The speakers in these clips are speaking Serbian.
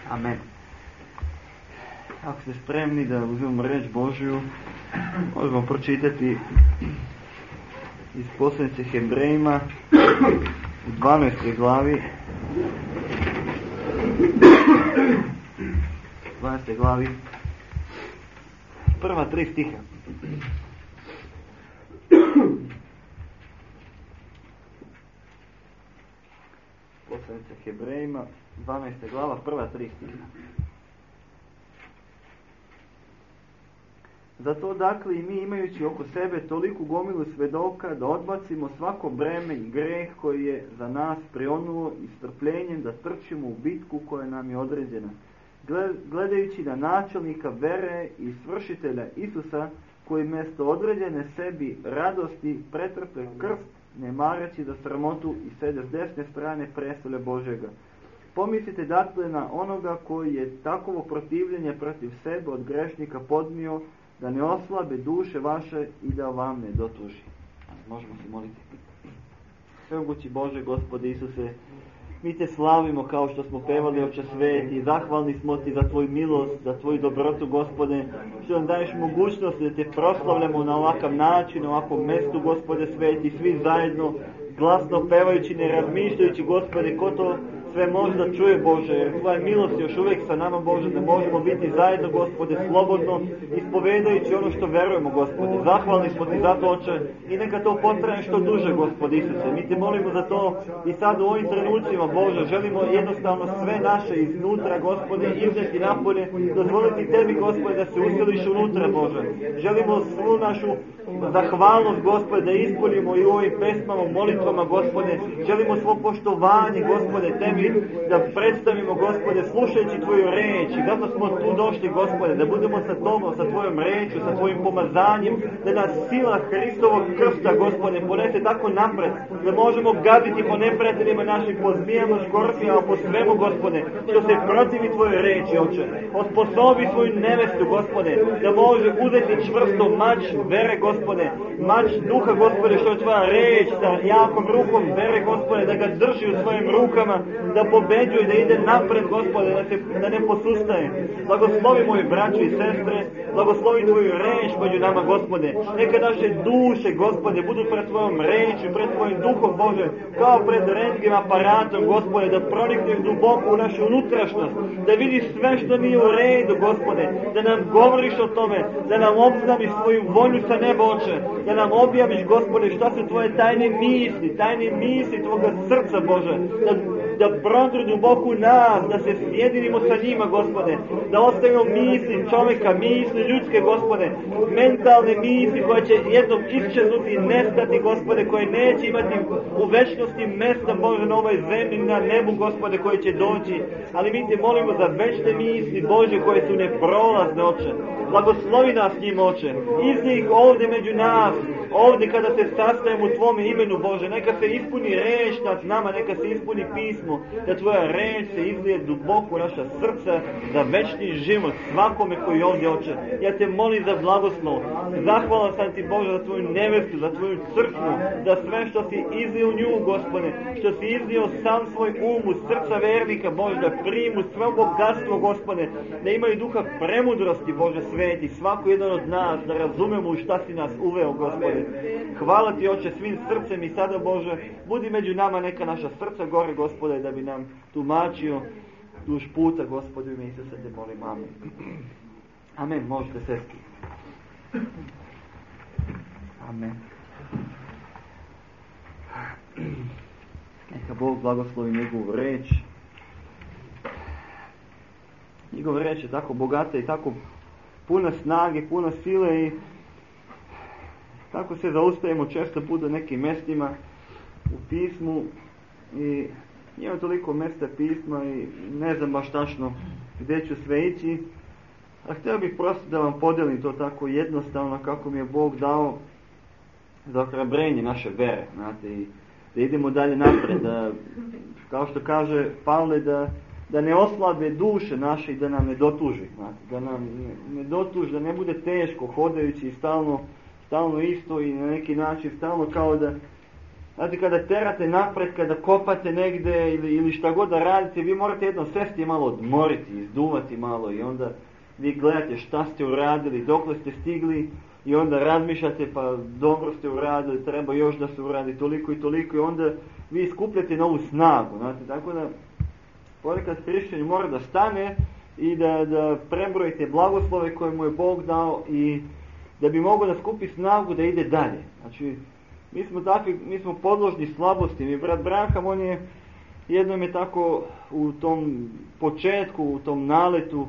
Amen. Ako ste spremni da uzmemo reč Božju, možemo pročitati iz poslanice Hebrejima u 12. glavi. 12. glavi. Prva 3 stiha. Poslanice Hebrejima, 12. glava, prva 3 stiha. Zato dakle i mi, imajući oko sebe toliku gomilu svedoka, da odbacimo svako breme i greh koji je za nas prionuo i strpljenjem da trčimo u bitku koja nam je određena, gledajući na načelnika vere i svršitelja Isusa, koji mjesto određene sebi radosti pretrpe krst, ne mareći za sramotu, i sede s desne strane prestolja Božjega. Pomislite dakle na onoga koji je takovo protivljenje protiv sebe od grešnika podnio, da ne oslabe duše vaše i da vam ne dotuži. Možemo se moliti. Svemogući Bože, Gospode Isuse, mi te slavimo kao što smo pevali, Oče sveti, zahvalni smo ti za tvoju milost, za tvoju dobrotu, Gospode, što nam daješ mogućnost da te proslavljamo na ovakav način, na ovakvom mjestu, Gospode sveti, svi zajedno, glasno pevajući, ne razmišljajući, Gospode, ko to sve može da čuje, Bože, jer tvoja milost još uvijek sa nama, Bože, da možemo biti zajedno, Gospode, slobodno, ispovedajući ono što verujemo, Gospode. Zahvalni smo ti za to, Oče, i neka to potraje što duže, Gospode Isuse. Mi te molimo za to i sad u ovim trenucima, Bože, želimo jednostavno sve naše iznutra, Gospode, izneti napolje, dozvoliti tebi, Gospode, da se usiliš unutra, Bože. Želimo svu našu zahvalnost, Gospode, da ispunimo i u ovim pesmama, molitvama, Gospode. Želimo svo poštovanje, Gospode, tebi da predstavimo, Gospode, slušajući tvoju reč. I zato smo tu došli, Gospode, da budemo sa tobom, sa tvojom rečju, sa tvojim pomazanjem, da nas sila Hristovog krsta, Gospode, ponese tako napred, da možemo gaziti po neprijateljima naših, po zmijama, škorpijama, po svemu, Gospode, što se protivi tvojoj reči, Oče. Osposobi svoju nevestu, Gospode, da može uzeti čvrsto mač vere, Gospode, mač duha, Gospode, što je tvoja reč, sa jakom rukom vere, Gospode, da ga drži u svojim rukama, da pobeđuje, da ide napred, Gospode, da ne posustaje. Blagoslovi moji braći i sestre, blagoslovi tvoju reč među nama, Gospode. Neka naše duše, Gospode, budu pred tvojom rečju, pred tvojim duhom, Bože, kao pred rentgem aparatom, Gospode, da pronikneš duboko u našu unutrašnost, da vidiš sve što nije u redu, Gospode, da nam govoriš o tome, da nam obznaviš svoju volju sa neba, Oče, da nam objaviš, Gospode, šta su tvoje tajne misli tvoga srca, Bože, da prodru duboko u nas, da se sjedinimo sa njima, Gospode, da ostavimo misli čovjeka, misli ljudske, Gospode, mentalne misli koje će jednom iščeznuti i nestati, Gospode, koje neće imati u večnosti mjesta, Bože, na ovoj zemlji, na nebu, Gospode, koje će doći, ali mi te molimo za večne misli, Bože, koje su neprolazne, Oče. Blagoslovi nas njim, Oče, iz njih ovdje među nas, ovdje kada se sastajemo u tvome imenu, Bože, neka se ispuni reč nad nama, neka se ispuni pismo, da tvoja reč se izlije duboko u naša srca za večni život svakome koji je ovdje, Oče. Ja te molim za blagoslov, zahvalan sam ti, Bože, za tvoju nevestu, za tvoju crkvu, za sve što si izlio u nju, Gospode, što si izlio sam svoj um u srca vernika, Bože, da primu sve bogatstvo, Gospode, da imaju duha premudrosti, Bože sveti, svako jedan od nas, da razumemo u šta si nas uveo, Gospode. Hvala ti, Oče, svim srcem i sada, Bože, budi među nama, neka naša srca gore, Gospode, da bi nam tumačio duž puta, Gospode, u ime Isusa te molim, amen. Amen, možete sesti. Amen. Neka Bog blagoslovi njegovu reč. Njegova reč je tako bogata i tako puna snage, puna sile i tako se zaustajemo često puta nekim mjestima u pismu i nije toliko mjesta pisma i ne znam baš tačno gdje ću sve ići, a htio bih prosto da vam podijelim to tako jednostavno kako mi je Bog dao za ohrabrenje naše vere, znate, i da idemo dalje napred, da, kao što kaže Pavle, da ne oslabe duše naše i da nam ne dotuži, znate, da nam ne dotuži, da ne bude teško hodajući stalno isto i na neki način stalno kao Znate, kada terate napred, kada kopate negdje ili šta god da radite, vi morate jednom sesti i malo odmoriti, izduvati malo i onda vi gledate šta ste uradili, dokle ste stigli i onda razmišljate pa dobro ste uradili, treba još da se uradi toliko i toliko i onda vi iskupljate novu snagu. Znate, tako da ponekad hrišćanin mora da stane i da prebrojite blagoslove koje mu je Bog dao i da bi mogao da skupi snagu da ide dalje. Znači, mi smo podložni slabosti. Mi brat Branham, on je jednom je tako u tom početku, u tom naletu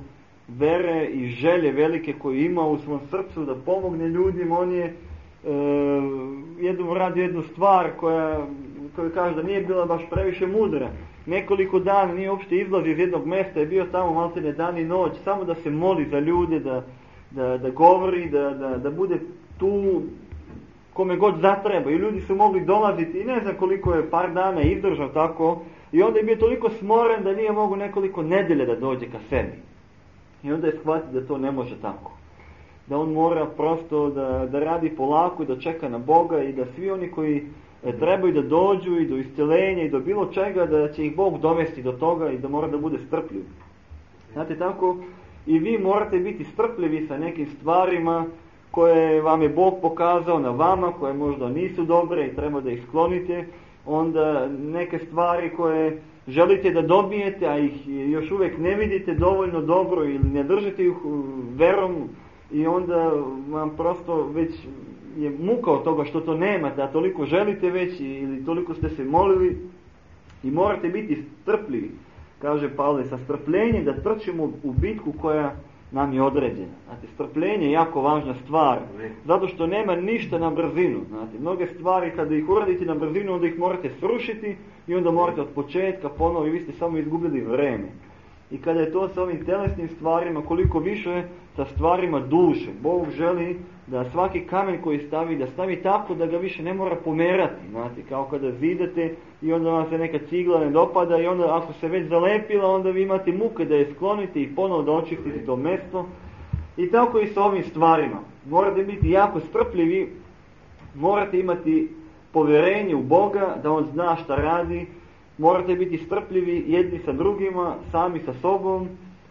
vere i želje velike koju ima u svom srcu da pomogne ljudima, on je radio jednu stvar koja kaže da nije bila baš previše mudra. Nekoliko dana nije uopšte izlazio iz jednog mjesta, je bio tamo maltene dan i noć, samo da se moli za ljude, da govori, da bude tu kome god zatreba. I ljudi su mogli dolaziti i ne znam koliko je par dana izdržao tako. I onda je bio toliko smoren da nije mogu nekoliko nedelja da dođe ka sebi. I onda je shvatio da to ne može tako. Da on mora prosto da radi polako i da čeka na Boga i da svi oni koji trebaju da dođu i do isceljenja i do bilo čega, da će ih Bog dovesti do toga i da mora da bude strpljiv. Znate, tako i vi morate biti strpljivi sa nekim stvarima koje vam je Bog pokazao na vama, koje možda nisu dobre i treba da ih sklonite. Onda neke stvari koje želite da dobijete, a ih još uvijek ne vidite dovoljno dobro ili ne držite ih verom i onda vam prosto već je muka od toga što to nemate, a toliko želite već ili toliko ste se molili i morate biti strpljivi. Kaže Pavle, sa strpljenjem da trčimo u bitku koja nam je određena. Znate, strpljenje je jako važna stvar, zato što nema ništa na brzinu. Znate, mnoge stvari kada ih uradite na brzinu, onda ih morate srušiti i onda morate od početka ponovo i vi ste samo izgubili vreme. I kada je to sa ovim telesnim stvarima, koliko više sa stvarima duše. Bog želi da svaki kamen koji stavi, da stavi tako da ga više ne mora pomerati. Znate, kao kada zidate i onda vam se neka cigla ne dopada i onda ako se već zalepila, onda vi imate muke da je sklonite i ponovo da očistite to mjesto. I tako i sa ovim stvarima. Morate biti jako strpljivi, morate imati povjerenje u Boga, da On zna šta radi. Morate biti strpljivi jedni sa drugima, sami sa sobom.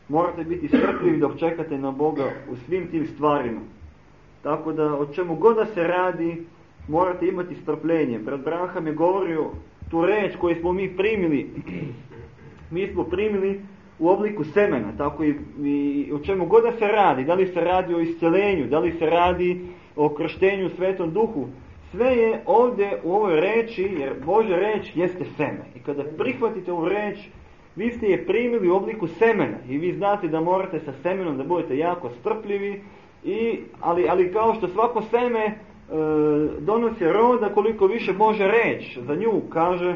Morate biti strpljivi dok čekate na Boga u svim tim stvarima. Tako da, o čemu god da se radi, morate imati strpljenje. Brat Branham je govorio tu reč koju smo mi primili. Mi smo primili u obliku semena. Tako i o čemu god da se radi. Da li se radi o isceljenju, da li se radi o krštenju u Svetom Duhu. Sve je ovdje u ovoj reči, jer Božja reč jeste seme. I kada prihvatite ovu reč, vi ste je primili u obliku semena. I vi znate da morate sa semenom da budete jako strpljivi. Ali kao što svako seme donosi roda, koliko više Božja reč za nju kaže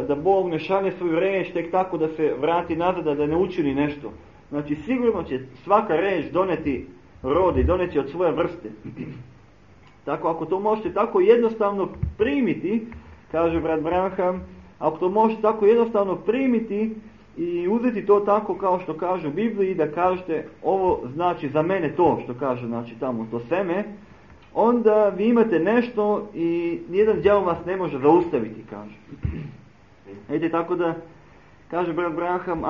da Bog ne šalje svoju reč tek tako da se vrati nazad, da ne učini nešto. Znači sigurno će svaka reč doneti rod i doneti od svoje vrste. Tako, ako to možete tako jednostavno primiti, kaže brat Branham, ako to možete tako jednostavno primiti i uzeti to tako kao što kaže u Bibliji, da kažete ovo znači za mene to što kaže, znači tamo to seme, onda vi imate nešto i nijedan đavo vas ne može zaustaviti, kaže. Vidite, tako da, kaže brat Branham,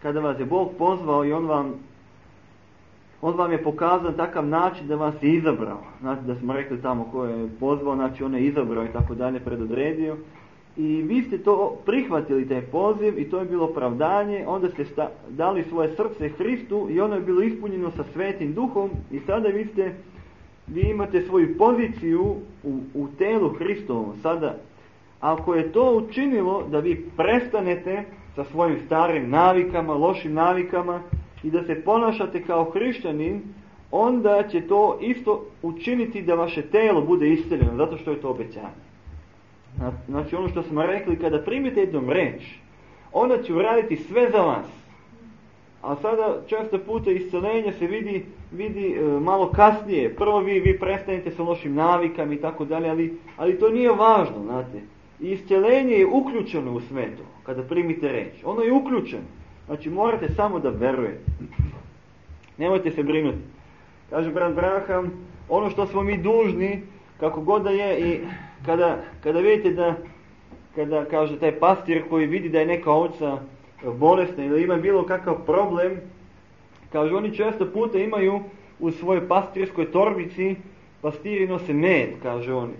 kada vas je Bog pozvao i On vam je pokazan takav način da vas je izabrao. Znači da smo rekli tamo ko je pozvao, znači on je izabrao i tako dalje, predodredio. I vi ste to prihvatili, taj poziv, i to je bilo opravdanje, onda ste dali svoje srce Hristu i ono je bilo ispunjeno sa Svetim Duhom i sada vi imate svoju poziciju u telu Hristovom. Sada, ako je to učinilo da vi prestanete sa svojim starim navikama, lošim navikama, i da se ponašate kao hrišćanin, onda će to isto učiniti da vaše telo bude isceljeno, zato što je to obećanje. Znači ono što smo rekli, kada primite jednom reč, ona će uraditi sve za vas. A sada često puta isceljenje se vidi malo kasnije. Prvo vi prestanete sa lošim navikama i tako dalje, ali to nije važno, znate. Isceljenje je uključeno u sve to, kada primite reč. Ono je uključeno. Znači morate samo da verujete. Nemojte se brinuti. Kaže brat Branham, ono što smo mi dužni, kako god da je, i kada vidite da, kada kaže taj pastir koji vidi da je neka ovca bolesna ili ima bilo kakav problem, kaže oni često puta imaju u svojoj pastirskoj torbici, pastiri nose med, kaže on,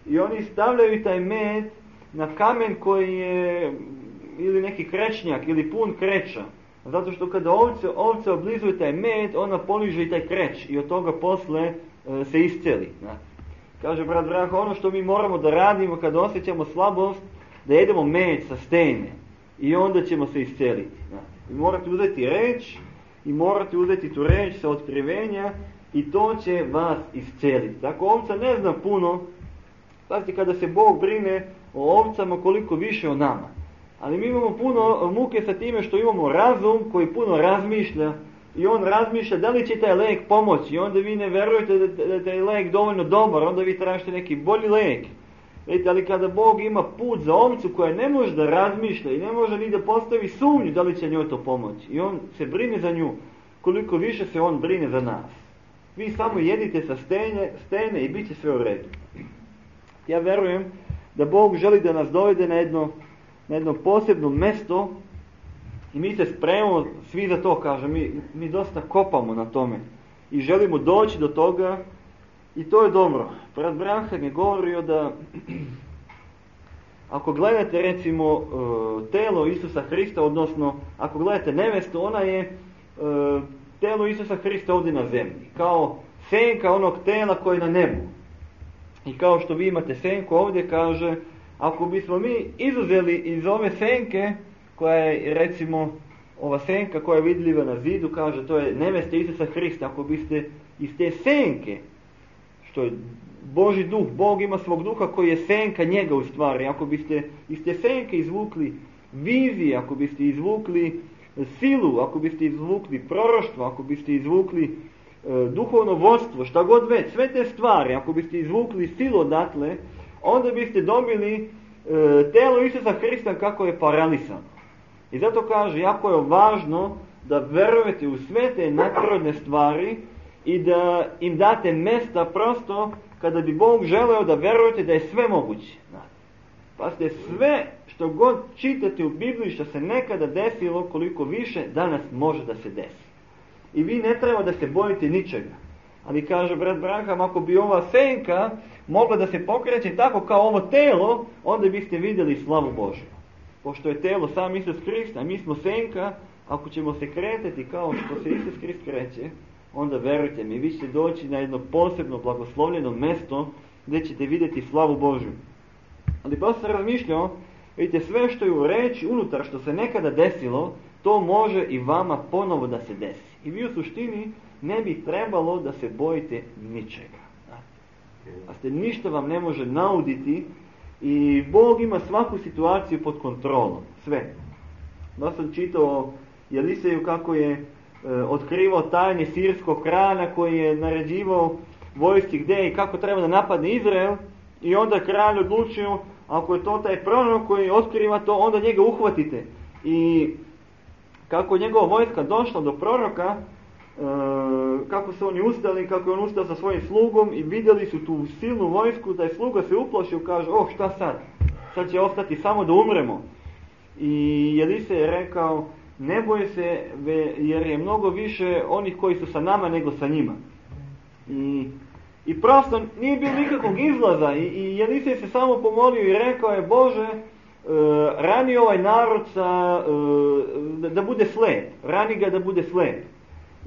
i oni stavljaju taj med na kamen koji je ili neki krečnjak ili pun kreča. Zato što kada ovce oblizuju taj med, ona poliže i taj kreć i od toga posle se isceli. Kaže brat Branko, ono što mi moramo da radimo kada osjećamo slabost, da jedemo med sa stene i onda ćemo se isceliti. Vi morate uzeti reč i morate uzeti tu reč sa otkrivenja i to će vas isceliti. Tako ovca ne zna puno, pazite kada se Bog brine o ovcama koliko više o nama. Ali mi imamo puno muke sa time što imamo razum koji puno razmišlja i on razmišlja da li će taj lek pomoći i onda vi ne verujete da je taj lek dovoljno dobar, onda vi tražite neki bolji lek. Vidite, ali kada Bog ima put za ovcu koja ne može da razmišlja i ne može ni da postavi sumnju da li će njoj to pomoći i on se brine za nju koliko više se on brine za nas. Vi samo jedite sa stene i bit će sve u redu. Ja verujem da Bog želi da nas dovede na jedno posebno mesto i mi se spremamo svi za to, kaže, mi dosta kopamo na tome i želimo doći do toga i to je dobro. Brat Branham je govorio da ako gledate recimo telo Isusa Hrista, odnosno ako gledate nevestu, ona je telo Isusa Hrista ovdje na zemlji, kao senka onog tela koje je na nebu. I kao što vi imate senku ovdje, kaže, ako bismo mi izuzeli iz ove senke, koja je recimo ova senka koja je vidljiva na zidu, kaže to je nevesta Isusa Hrista, ako biste iz te senke, što je Božji duh, Bog ima svog duha koji je senka njega u stvari, ako biste iz te senke izvukli vizije, ako biste izvukli silu, ako biste izvukli proroštvo, ako biste izvukli duhovno vodstvo, šta god već, sve te stvari, ako biste izvukli silu odatle, onda biste dobili telo Isusa Hrista kako je paralisano. I zato kaže, jako je važno da verujete u sve te nadprirodne stvari i da im date mesta prosto kada bi Bog želeo da verujete da je sve moguće. Pazite, sve što god čitate u Bibliji što se nekada desilo, koliko više danas može da se desi. I vi ne treba da se bojite ničega. Ali kaže brat Branham, ako bi ova senka mogla da se pokreće tako kao ovo telo, onda biste vidjeli slavu Božju. Pošto je telo sam Isus Hrist, a mi smo senka, ako ćemo se kretati kao što se Isus Hrist kreće, onda verujte mi, vi ćete doći na jedno posebno blagoslovljeno mesto gdje ćete vidjeti slavu Božju. Ali pa sam razmišljao, vidite, sve što je u reči unutar što se nekada desilo, to može i vama ponovo da se desi. I vi u suštini ne bi trebalo da se bojite ničega. A ništa vam ne može nauditi i Bog ima svaku situaciju pod kontrolom. Sve. Da sam čitao Eliseju kako je otkrivao tajne sirskog kralja koji je naređivao vojsci gdje i kako treba da napadne Izrael i onda kralj odlučio, ako je to taj prorok koji otkriva to, onda njega uhvatite. I kako je njegova vojska došla do proroka, kako su oni ustali, kako je on ustao sa svojim slugom i vidjeli su tu silnu vojsku, taj sluga se uplašio, kaže, šta sad? Sad će ostati samo da umremo. I Elise je rekao, ne boj se, jer je mnogo više onih koji su sa nama nego sa njima. I prosto nije bilo nikakvog izlaza i Elise se samo pomolio i rekao je, Bože, rani ovaj narod da bude slep, rani ga da bude slep.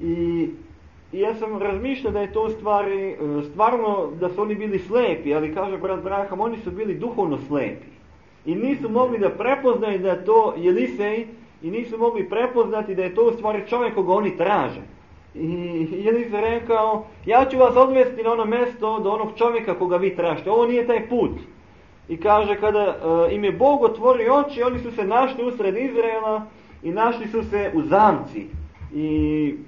I ja sam razmišljao da je to stvarno da su oni bili slepi, ali kaže brat Branham, oni su bili duhovno slepi. I nisu mogli da prepoznaju da je to Elisej i nisu mogli prepoznati da je to u stvari čovjek koga oni traže. I Elisej rekao, ja ću vas odvesti na ono mjesto do onog čovjeka koga vi tražite, ovo nije taj put. I kaže, kada im je Bog otvorio oči, oni su se našli usred Izraela i našli su se u zamci.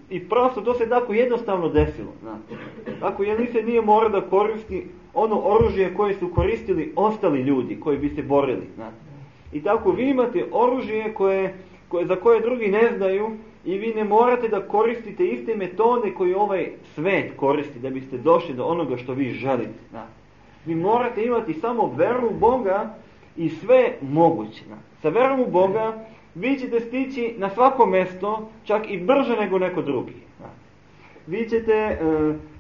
I prosto to se tako jednostavno desilo. Tako Elisej nije morao da koristi ono oružje koje su koristili ostali ljudi koji bi se borili. I tako vi imate oružje za koje drugi ne znaju i vi ne morate da koristite iste metode koje ovaj svet koristi da biste došli do onoga što vi želite. Vi morate imati samo veru u Boga i sve moguće. Sa verom u Boga vi ćete stići na svako mjesto, čak i brže nego neko drugi.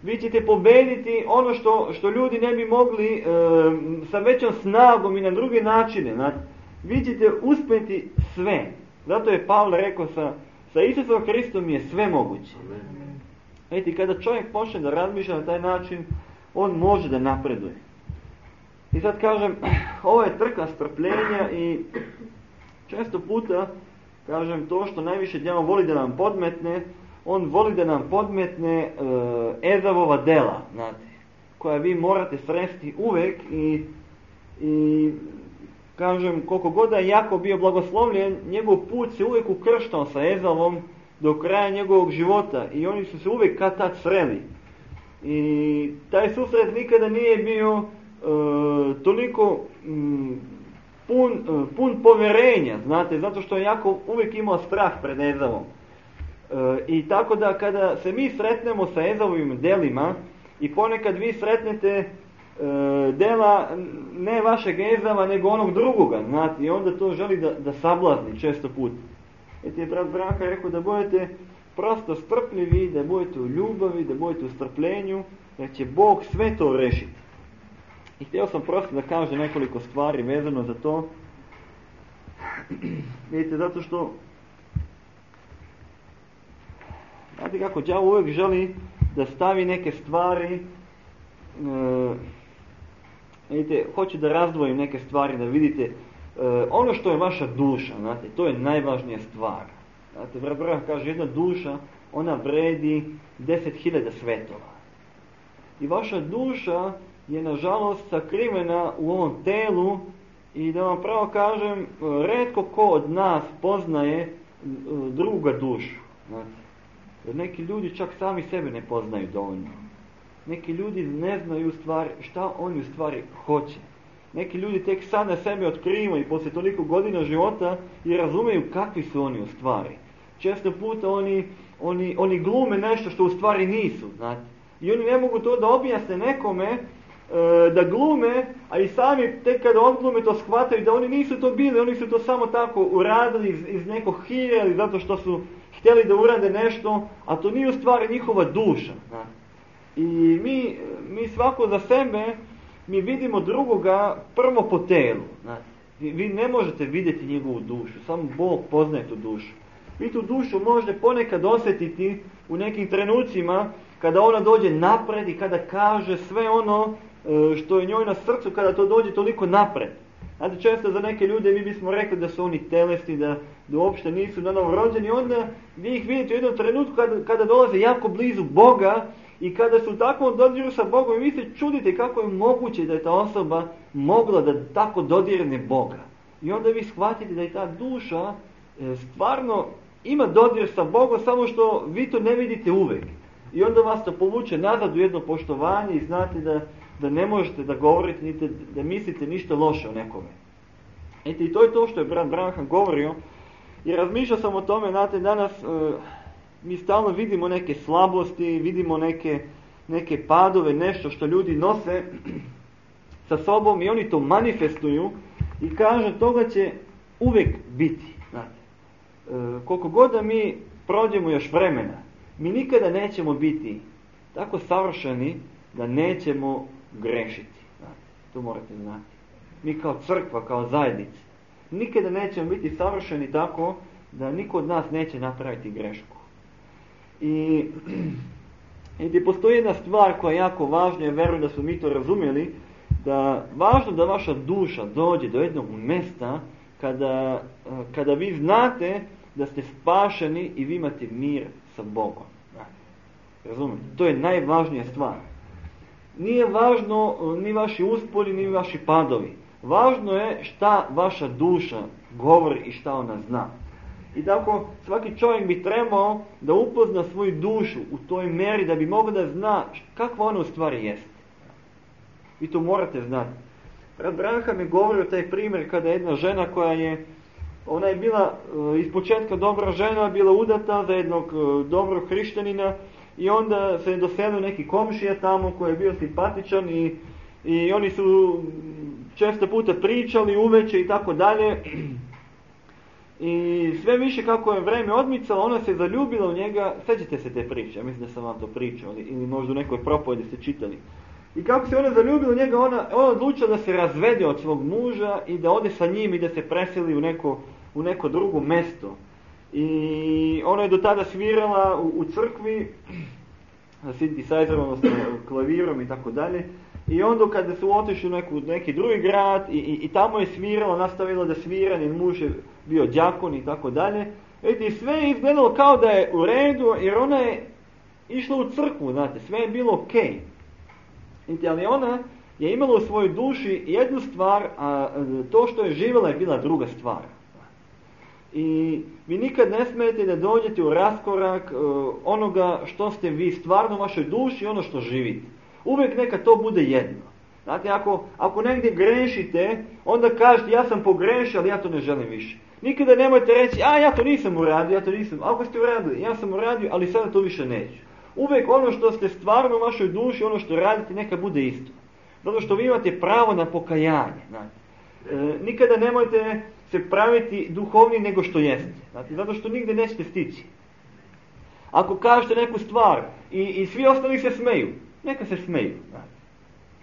Vi ćete pobediti ono što ljudi ne bi mogli sa većom snagom i na druge načine. Vi ćete uspjeti sve. Zato je Pavle rekao sa Isusom Hristom je sve moguće. Vidite, kada čovjek počne da razmišlja na taj način, on može da napreduje. I sad kažem, ovo je trka strpljenja i često puta, kažem, to što najviše djavo voli da nam podmetne, on voli da nam podmetne Ezavova dela, znate, koja vi morate sresti uvek i kažem, koliko god je Jakov bio blagoslovljen, njegov put se uvijek ukrštao sa Ezavom do kraja njegovog života i oni su se uvijek kad tad sreli. I taj susret nikada nije bio toliko pun povjerenja, znate, zato što je Jakov uvijek imao strah pred Ezavom. I tako da kada se mi sretnemo sa Ezavovim delima i ponekad vi sretnete dela ne vašeg Ezava nego onog drugoga, znate, i onda to želi da sablazni često put. Eti je brat Branka rekao da budete prosto strpljivi, da budete u ljubavi, da budete u strpljenju, da će Bog sve to rešiti. I htio sam prosto da kažem nekoliko stvari vezano za to. Vidite, zato što znate kako đavo uvijek želi da stavi neke stvari, vidite, hoću da razdvojim neke stvari, da vidite ono što je vaša duša, znate, to je najvažnija stvar. Znate, Vrah kaže, jedna duša, ona vredi 10.000 svetova. I vaša duša je nažalost sakrivena u ovom telu i da vam pravo kažem, retko ko od nas poznaje druga dušu. Znate, jer neki ljudi čak sami sebe ne poznaju dovoljno. Neki ljudi ne znaju u stvari šta oni u stvari hoće. Neki ljudi tek sada sebe otkrivaju i poslije toliko godina života i razumeju kakvi su oni u stvari. Često puta oni glume nešto što u stvari nisu, znate. I oni ne mogu to da objasne nekome da glume, a i sami tek kada odglume to shvataju da oni nisu to bili, oni su to samo tako uradili iz nekog hira ili zato što su htjeli da urade nešto, a to nije u stvari njihova duša. Znate. I mi svako za sebe, mi vidimo drugoga prvo po telu. Znate. Vi ne možete vidjeti njegovu dušu, samo Bog poznaje tu dušu. Vi tu dušu možete ponekad osjetiti u nekim trenucima kada ona dođe napred i kada kaže sve ono što je njoj na srcu, kada to dođe toliko napred. Znate, često za neke ljude mi bismo rekli da su oni telesni, da uopšte nisu nanovo rođeni, onda vi ih vidite u jednom trenutku kada dolaze jako blizu Boga i kada su u takvom dodiru sa Bogom i vi se čudite kako je moguće da je ta osoba mogla da tako dodirne Boga. I onda vi shvatite da je ta duša stvarno ima dodir sa Bogom, samo što vi to ne vidite uvek. I onda vas to povuče nazad u jedno poštovanje i znate da ne možete da govorite, niti da mislite ništa loše o nekome. Eto, i to je to što je brat Branham govorio. I razmišljao sam o tome, znate, danas mi stalno vidimo neke slabosti, vidimo neke padove, nešto što ljudi nose sa sobom i oni to manifestuju i kažu toga će uvijek biti. Znate, koliko god da mi prođemo još vremena, mi nikada nećemo biti tako savršeni da nećemo grešiti. Znate, to morate znati. Mi kao crkva, kao zajednica, nikada nećemo biti savršeni tako da niko od nas neće napraviti grešku. I postoji jedna stvar koja je jako važna, ja verujem da smo mi to razumjeli, da važno da vaša duša dođe do jednog mjesta kada vi znate da ste spašeni i vi imate mir sa Bogom. Razumijete? To je najvažnija stvar. Nije važno ni vaši usponi, ni vaši padovi. Važno je šta vaša duša govori i šta ona zna. I tako svaki čovjek bi trebao da upozna svoju dušu u toj meri da bi mogao da zna kakva ona u stvari jeste. Vi to morate znati. Brat Branham je govorio taj primjer kada jedna žena ona je bila iz početka dobra žena, bila udata za jednog dobrog hrišćanina i onda se je doselio neki komšija tamo koji je bio simpatičan i oni su često puta pričali uveče i tako dalje. I sve više kako je vreme odmicalo, ona se zaljubila u njega. Sjećate se te priče, ja mislim da sam vam to pričao, ili možda u nekoj propovedi ste čitali. I kako se ona zaljubila u njega, ona odlučila da se razvede od svog muža i da ode sa njim i da se preseli u neko drugo mesto. I ona je do tada svirala u crkvi, synthesizerom, odnosno klavirom i tako dalje. I onda kada su otišli u neki drugi grad i tamo je svirala, nastavila da svira, njen muž je bio đakon i tako dalje. Vidite, sve je izgledalo kao da je u redu, jer ona je išla u crkvu, znate, sve je bilo okej. Vidite, ali ona je imala u svojoj duši jednu stvar, a to što je živjela je bila druga stvar. I vi nikad ne smijete da dođete u raskorak onoga što ste vi stvarno u vašoj duši i ono što živite. Uvijek neka to bude jedno. Znate, ako negdje grešite, onda kažete ja sam pogrešio, ali ja to ne želim više. Nikada nemojte reći, ja to nisam uradio, ja to nisam. Ako ste uradili, ja sam uradio, ali sada to više neću. Uvijek ono što ste stvarno u vašoj duši, ono što radite, neka bude isto. Zato što vi imate pravo na pokajanje. Znate. Nikada nemojte se praviti duhovni nego što jeste. Znate, zato što nigdje nećete stići. Ako kažete neku stvar i svi ostali se smeju, neka se smeju. Znate.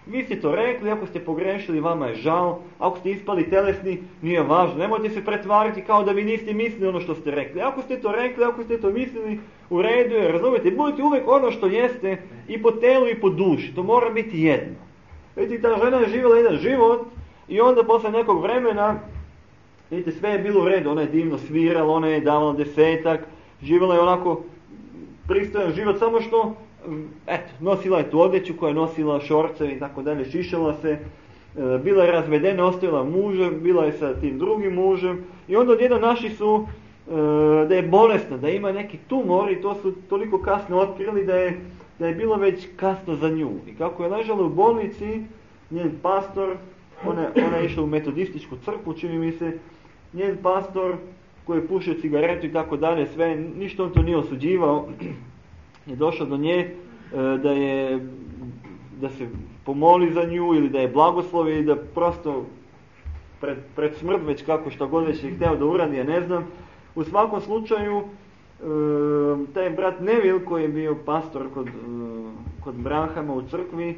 Vi ste to rekli, ako ste pogrešili, vama je žao, ako ste ispali telesni, nije važno. Nemojte se pretvariti kao da vi niste mislili ono što ste rekli. Ako ste to rekli, ako ste to mislili, u redu je, razumijete, budite uvijek ono što jeste i po telu i po duši. To mora biti jedno. Vidite, ta žena je živjela jedan život i onda posle nekog vremena, vidite, sve je bilo u redu. Ona je divno svirala, ona je davala 10, živjela je onako pristojan život, samo što nosila je tu odjeću koja je nosila šorce i tako dalje, šišala se, bila je razvedena, ostavila muža, bila je sa tim drugim mužem i onda odjednom našli su da je bolesna, da ima neki tumor i to su toliko kasno otkrili da je bilo već kasno za nju. I kako je ležala u bolnici, njen pastor, ona je išla u metodističku crkvu, čini mi se, njen pastor koji je pušio cigaretu i tako dalje, sve, ništa on to nije osuđivao, je došao do nje da se pomoli za nju ili da je blagoslovi i da prosto pred smrt već kako što god već je hteo da uradi, ja ne znam. U svakom slučaju taj brat Neville koji je bio pastor kod Branhama u crkvi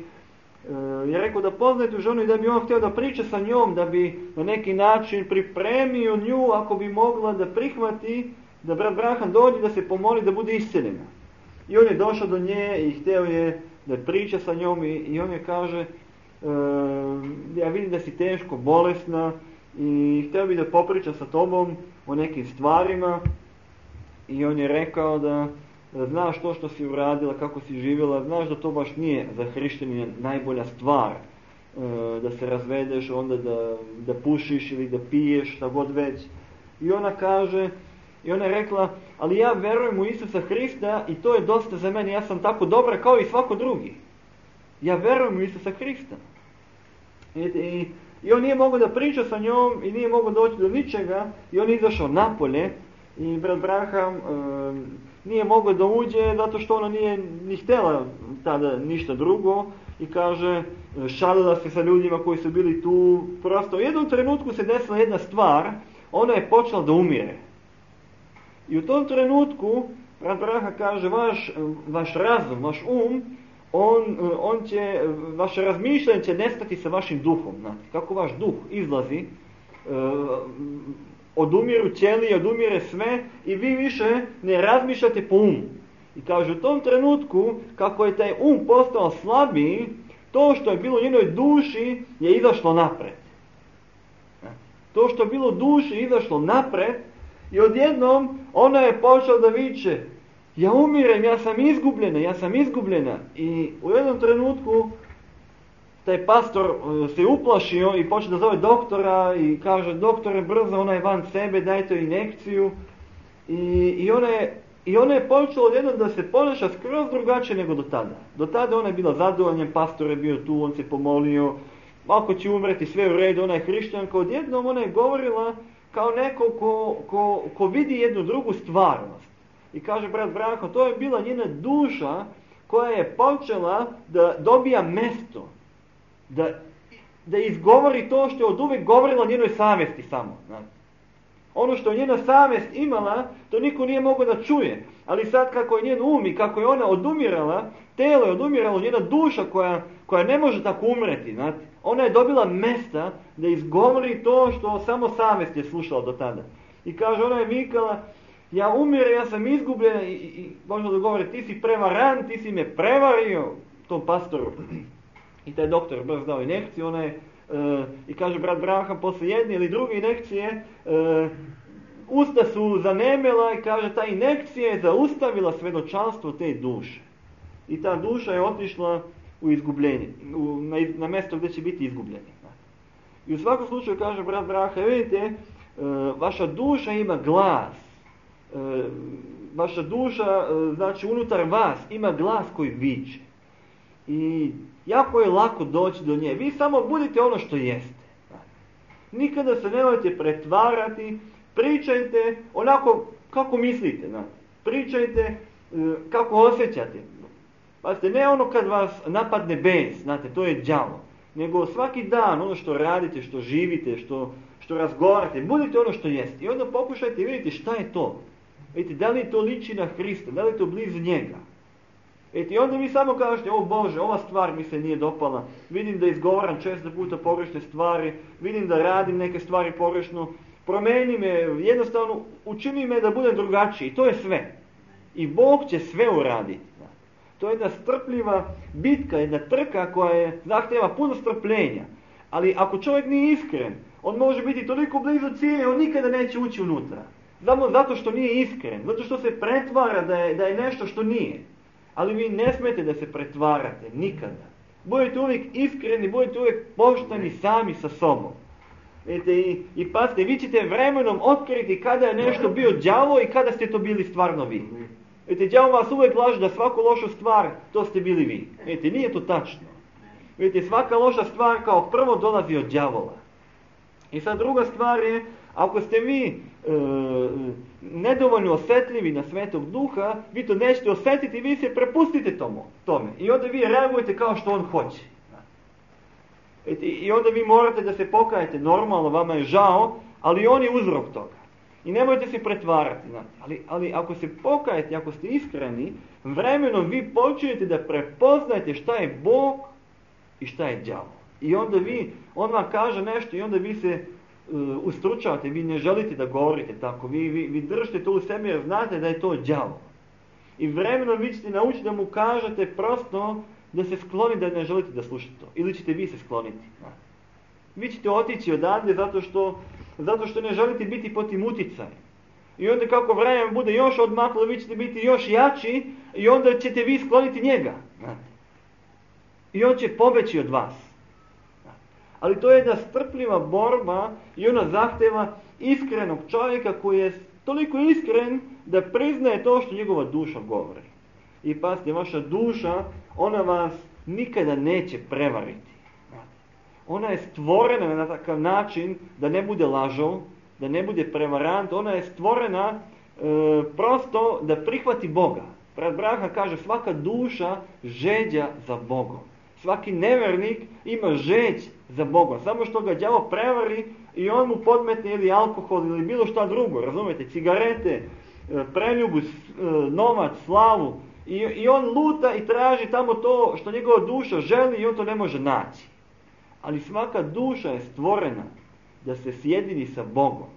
je rekao da poznaje tu ženu i da bi on htio da priča sa njom, da bi na neki način pripremio nju ako bi mogla da prihvati da brat Branham dođe da se pomoli da bude isceljena. I on je došao do nje i htio je da priča sa njom i on je kaže ja vidim da si teško bolesna i htio bi da popriča sa tobom o nekim stvarima i on je rekao da znaš to što si uradila, kako si živjela, znaš da to baš nije za hrišćanina najbolja stvar, da se razvedeš, onda da pušiš ili da piješ, šta god već. I ona kaže, i ona je rekla, ali ja verujem u Isusa Hrista i to je dosta za mene, ja sam tako dobra kao i svako drugi. Ja verujem u Isusa Hrista. I on nije mogao da priča sa njom i nije mogao doći do ničega i on je izašao napolje i brat Branham nije mogao da uđe zato što ona nije ni htjela tada ništa drugo i kaže, šalila se sa ljudima koji su bili tu. Prosto u jednom trenutku se desila jedna stvar, ona je počela da umire. I u tom trenutku, brat Branham kaže, vaš razum, vaš vaše razmišljanje će nestati sa vašim duhom. Znate, kako vaš duh izlazi, odumiru ćelije, odumire sve i vi više ne razmišljate po umu. I kaže, u tom trenutku, kako je taj postao slabiji, to što je bilo u njenoj duši je izašlo napred. To što je bilo u duši je izašlo napred i odjednom ona je počela da viče, ja umirem, ja sam izgubljena. I u jednom trenutku taj pastor se uplašio i počeo da zove doktora i kaže, doktore, brzo, ona je van sebe, dajte joj injekciju. I ona je počela odjednom da se ponaša skroz drugačije nego do tada. Do tada ona je bila zadovoljna, pastor je bio tu, on se pomolio, ako će umreti, sve u redu, ona je hrišćanka. Odjednom ona je govorila kao neko ko vidi jednu drugu stvarnost. I kaže brat Branko, to je bila njena duša koja je počela da dobija mesto. da izgovori to što je od uvijek govorila njenoj savjesti samo. Znate. Ono što je njena savjest imala, to niko nije mogao da čuje. Ali sad kako je njen um i kako je ona odumirala, telo je odumiralo, njena duša koja ne može tako umreti. Znate. Ona je dobila mesta da izgovori to što samo savjest je slušala do tada. I kaže, ona je vikala, ja umiram, ja sam izgubljena i možda da govori, ti si prevaran, ti si me prevario, tom pastoru. I taj doktor brzo dao injekciju, ona je, i kaže brat Branham, posle jedne ili druge injekcije, usta su zanemela i kaže, ta injekcija je zaustavila svedočanstvo te duše. I ta duša je otišla u izgubljenje, na mjesto gdje će biti izgubljeni. I u svakom slučaju, kaže brat Branham, vidite, vaša duša ima glas. Vaša duša, znači unutar vas, ima glas koji viče. I jako je lako doći do nje. Vi samo budite ono što jeste. Nikada se nemojte pretvarati, pričajte onako kako mislite. Pričajte kako osjećate. Pazite, ne ono kad vas napadne bes, znate, to je đavo. Nego svaki dan ono što radite, što živite, što razgovarate, budite ono što jeste. I onda pokušajte vidjeti šta je to. Vidite, da li to liči na Hrista, da li to blizu njega. I onda vi samo kažete, o Bože, ova stvar mi se nije dopala, vidim da izgovaram često puta pogrešne stvari, vidim da radim neke stvari pogrešno, promeni me, jednostavno učini me da budem drugačiji, to je sve. I Bog će sve uraditi. To je jedna strpljiva bitka, jedna trka koja zahtjeva puno strpljenja. Ali ako čovjek nije iskren, on može biti toliko blizu cilja, on nikada neće ući unutra. Samo zato što nije iskren, zato što se pretvara da je nešto što nije. Ali vi ne smijete da se pretvarate, nikada. Budete uvijek iskreni, budete uvijek pošteni sami sa sobom. I pazite, vi ćete vremenom otkriti kada je nešto bio đavo i kada ste to bili stvarno vi. Đavo vas uvijek laže da svaku lošu stvar, to ste bili vi. Nije to tačno. Svaka loša stvar kao prvo dolazi od đavola. I sad druga stvar je, ako ste vi nedovoljno osjetljivi na Svetog Duha, vi to nećete osjetiti, vi se prepustite tome. I onda vi reagujete kao što on hoće. I onda vi morate da se pokajete, normalno, vama je žao, ali on je uzrok toga. I nemojte se pretvarati. Ali ako se pokajete, ako ste iskreni, vremenom vi počinjete da prepoznajete šta je Bog i šta je đavo. I onda on vam kaže nešto i onda vi se ustručavate, vi ne želite da govorite tako, vi držite to u sebi jer znate da je to đavo. I vremenom vi ćete naučiti da mu kažete prosto da se skloni, da ne želite da slušate to. Ili ćete vi se skloniti. Vi ćete otići odavde zato što ne želite biti pod tim uticajem. I onda kako vreme bude još odmaklo, vi ćete biti još jači i onda ćete vi skloniti njega. I on će pobeći od vas. Ali to je jedna strpljiva borba i ona zahteva iskrenog čovjeka koji je toliko iskren da priznaje to što njegova duša govori. I pazite, vaša duša, ona vas nikada neće prevariti. Ona je stvorena na takav način da ne bude lažov, da ne bude prevarant, ona je stvorena prosto da prihvati Boga. Brat Branham kaže, svaka duša žeđa za Bogom. Svaki nevernik ima žeđ za Bogom. Samo što ga đavo prevari i on mu podmetne ili alkohol ili bilo šta drugo, razumijete, cigarete, preljubu, novac, slavu. I on luta i traži tamo to što njegova duša želi i on to ne može naći. Ali svaka duša je stvorena da se sjedini sa Bogom.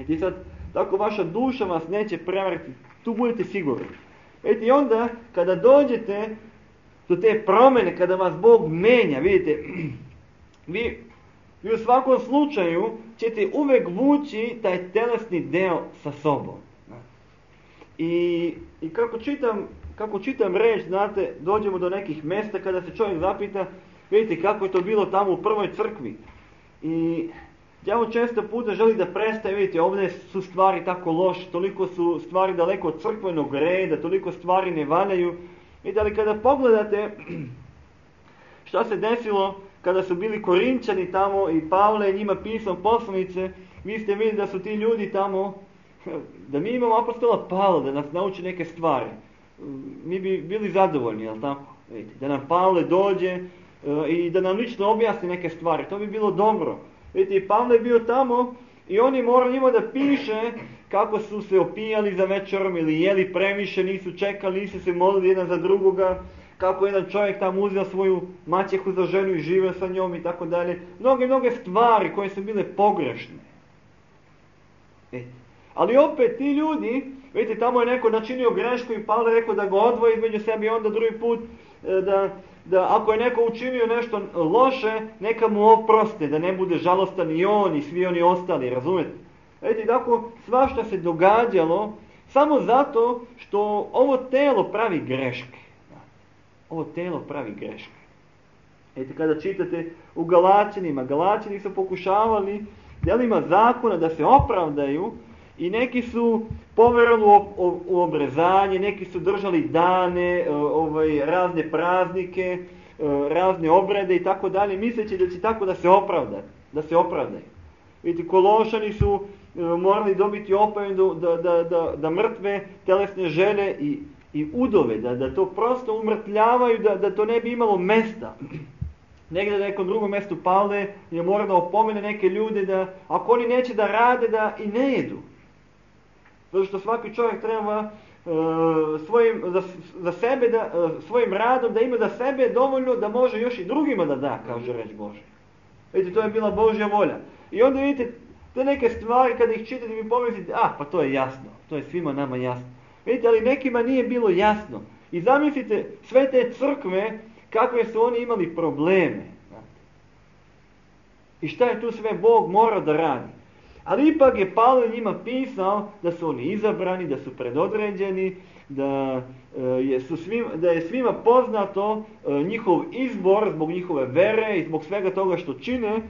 I sad, tako vaša duša vas neće prevariti, tu budete sigurni. I onda, kada dođete do te promjene, kada vas Bog menja, vidite, vi u svakom slučaju ćete uvijek vući taj telesni deo sa sobom. I kako čitam reč, znate, dođemo do nekih mjesta kada se čovjek zapita, vidite kako je to bilo tamo u prvoj crkvi. I đavo često puta želi da prestaje, vidite, ovdje su stvari tako loše, toliko su stvari daleko od crkvenog reda, toliko stvari ne valjaju. Vidite, ali kada pogledate šta se desilo kada su bili Korinčani tamo i Pavle je njima pisao poslanice, vi ste vidjeli da su ti ljudi tamo, da mi imamo apostola Pavla da nas nauči neke stvari. Mi bi bili zadovoljni, jel tako? Vidite, da nam Pavle dođe, i da nam lično objasni neke stvari. To bi bilo dobro. Vidite, i Pavle je bio tamo i on je morao njima da piše kako su se opijali za večerom ili jeli previše, nisu čekali, nisu se molili jedan za drugoga, kako jedan čovjek tamo uzeo svoju maćehu za ženu i živio sa njom i tako dalje. Mnoge stvari koje su bile pogrešne. Ali opet ti ljudi, vidite, tamo je neko načinio grešku i Pavle je rekao da ga odvoji između sebe i onda drugi put da ako je neko učinio nešto loše, neka mu oproste, da ne bude žalostan i on i svi oni ostali, razumete? Vidite, tako svašta se događalo samo zato što ovo telo pravi greške. Ovo telo pravi greške. Vidite, kada čitate u Galaćanima, Galaćani su pokušavali djelima zakona da se opravdaju i neki su poverovali u obrezanje, neki su držali dane, razne praznike, razne obrede i tako dalje, misleći da će tako da se opravdaju. Vidite, Kološani su morali dobiti opomenu da mrtve telesne žene i udove, da to prosto umrtljavaju, da to ne bi imalo mesta. Negdje na nekom drugom mjestu Pavle je morao da opomene neke ljude da ako oni neće da rade, da i ne jedu. Zato što svaki čovjek treba svojim radom da ima za sebe dovoljno da može još i drugima da da, kaže reč Bože. Vidite, to je bila Božja volja. I onda vidite, te neke stvari kada ih čitate mi pomislite, pa to je jasno, to je svima nama jasno. Vidite, ali nekima nije bilo jasno. I zamislite sve te crkve, kakve su oni imali probleme. I šta je tu sve Bog morao da radi. Ali ipak je Pavle njima pisao da su oni izabrani, da su predodređeni, da je svima poznato njihov izbor zbog njihove vere i zbog svega toga što čine.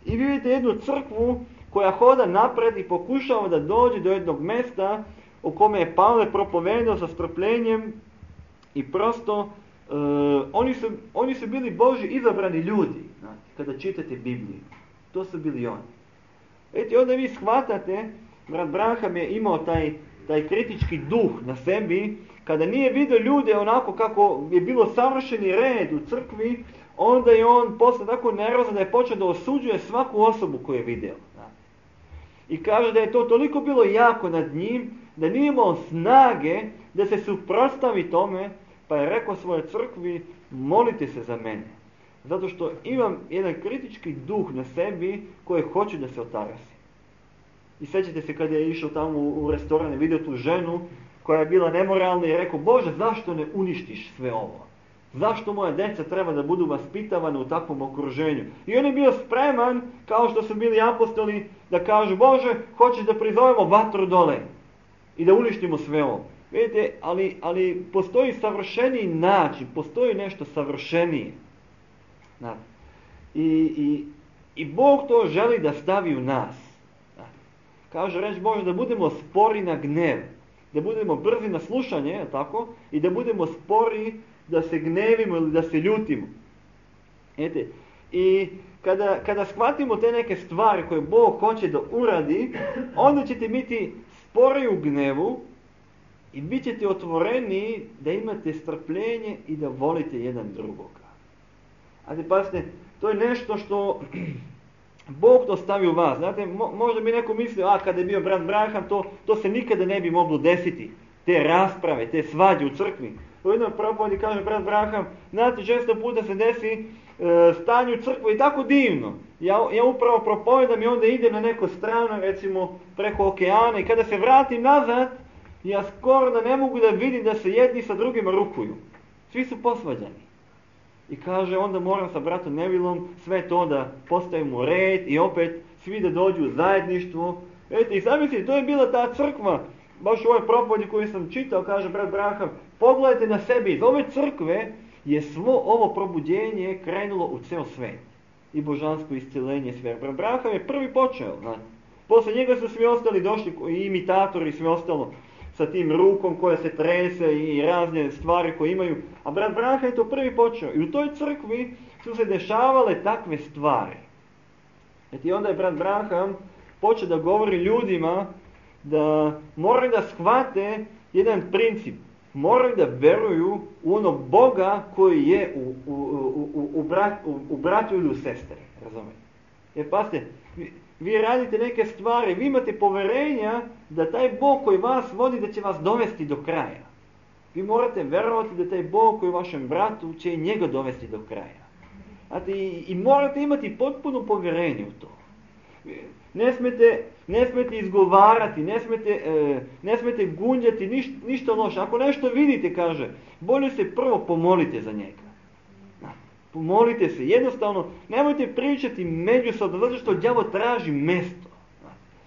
I vidite jednu crkvu koja hoda napred i pokušava da dođe do jednog mjesta u kome je Pavle propovedao sa strpljenjem i prosto oni su bili Božji izabrani ljudi, kada čitate Bibliju. To su bili oni. Vidite, onda vi shvatate, brat Branham je imao taj kritički duh na sebi, kada nije vidio ljude onako kako je bilo savršeni red u crkvi, onda je on posle tako nervozan da je počeo da osuđuje svaku osobu koju je vidio. I kaže da je to toliko bilo jako nad njim, da nije imao snage da se suprotstavi tome, pa je rekao svojoj crkvi, molite se za mene. Zato što imam jedan kritički duh na sebi koji hoću da se otarasi. I sjećate se kad je išao tamo u restoran i vidio tu ženu koja je bila nemoralna i rekao, Bože, zašto ne uništiš sve ovo? Zašto moja djeca treba da budu vaspitavane u takvom okruženju? I on je bio spreman, kao što su bili apostoli, da kažu, Bože, hoćeš da prizovemo vatru dole i da uništimo sve ovo. Vidite, ali postoji savršeniji način, postoji nešto savršenije. I Bog to želi da stavi u nas. Kaže reč Bože da budemo spori na gnev, da budemo brzi na slušanje, tako, i da budemo spori da se gnevimo ili da se ljutimo. I kada shvatimo te neke stvari koje Bog hoće da uradi, onda ćete biti spori u gnevu i bit ćete otvoreni da imate strpljenje i da volite jedan drugoga. Ajde, pasite, to je nešto što Bog to stavi u vas. Znate, možda bi neko mislio, kada je bio brat Branham, to se nikada ne bi moglo desiti. Te rasprave, te svađe u crkvi. U jednom propovedi kaže brat Branham, znate, često puta se desi stanje u crkvi i tako divno. Ja upravo propovedam i onda idem na neko strano, recimo preko okeana, i kada se vratim nazad, ja skoro da ne mogu da vidim da se jedni sa drugima rukuju. Svi su posvađani. I kaže, onda moram sa bratom Nevilom sve to da postavimo u red i opet svi da dođu u zajedništvo. Vidite, i zamislite, to je bila ta crkva, baš u ovoj propovedi koju sam čitao, kaže brat Branham, pogledajte na sebi, iz ove crkve je svo ovo probuđenje krenulo u ceo svet. I božansko iscjelenje sve. Brat Branham je prvi počeo. Posle njega su svi ostali došli, i imitatori i sve ostalo, sa tim rukom koja se trese i razne stvari koje imaju. A brat Branham je to prvi počeo. I u toj crkvi su se dešavale takve stvari. I onda je brat Branham počeo da govori ljudima da moraju da shvate jedan princip. moraju da veruju u onog Boga koji je u bratu ili u sestri. Razumijete? Jer pasite, vi radite neke stvari, vi imate poverenja da taj Bog koji vas vodi da će vas dovesti do kraja. Vi morate verovati da taj Bog koji je vašem bratu će i njega dovesti do kraja. Znate, i morate imati potpuno povjerenje u to. Ne smete izgovarati, ne smete gunđati ništa loše. Ako nešto vidite, kaže, bolje se prvo pomolite za njega. Pomolite se, jednostavno, nemojte pričati međusobno, zato što đavo traži mesto.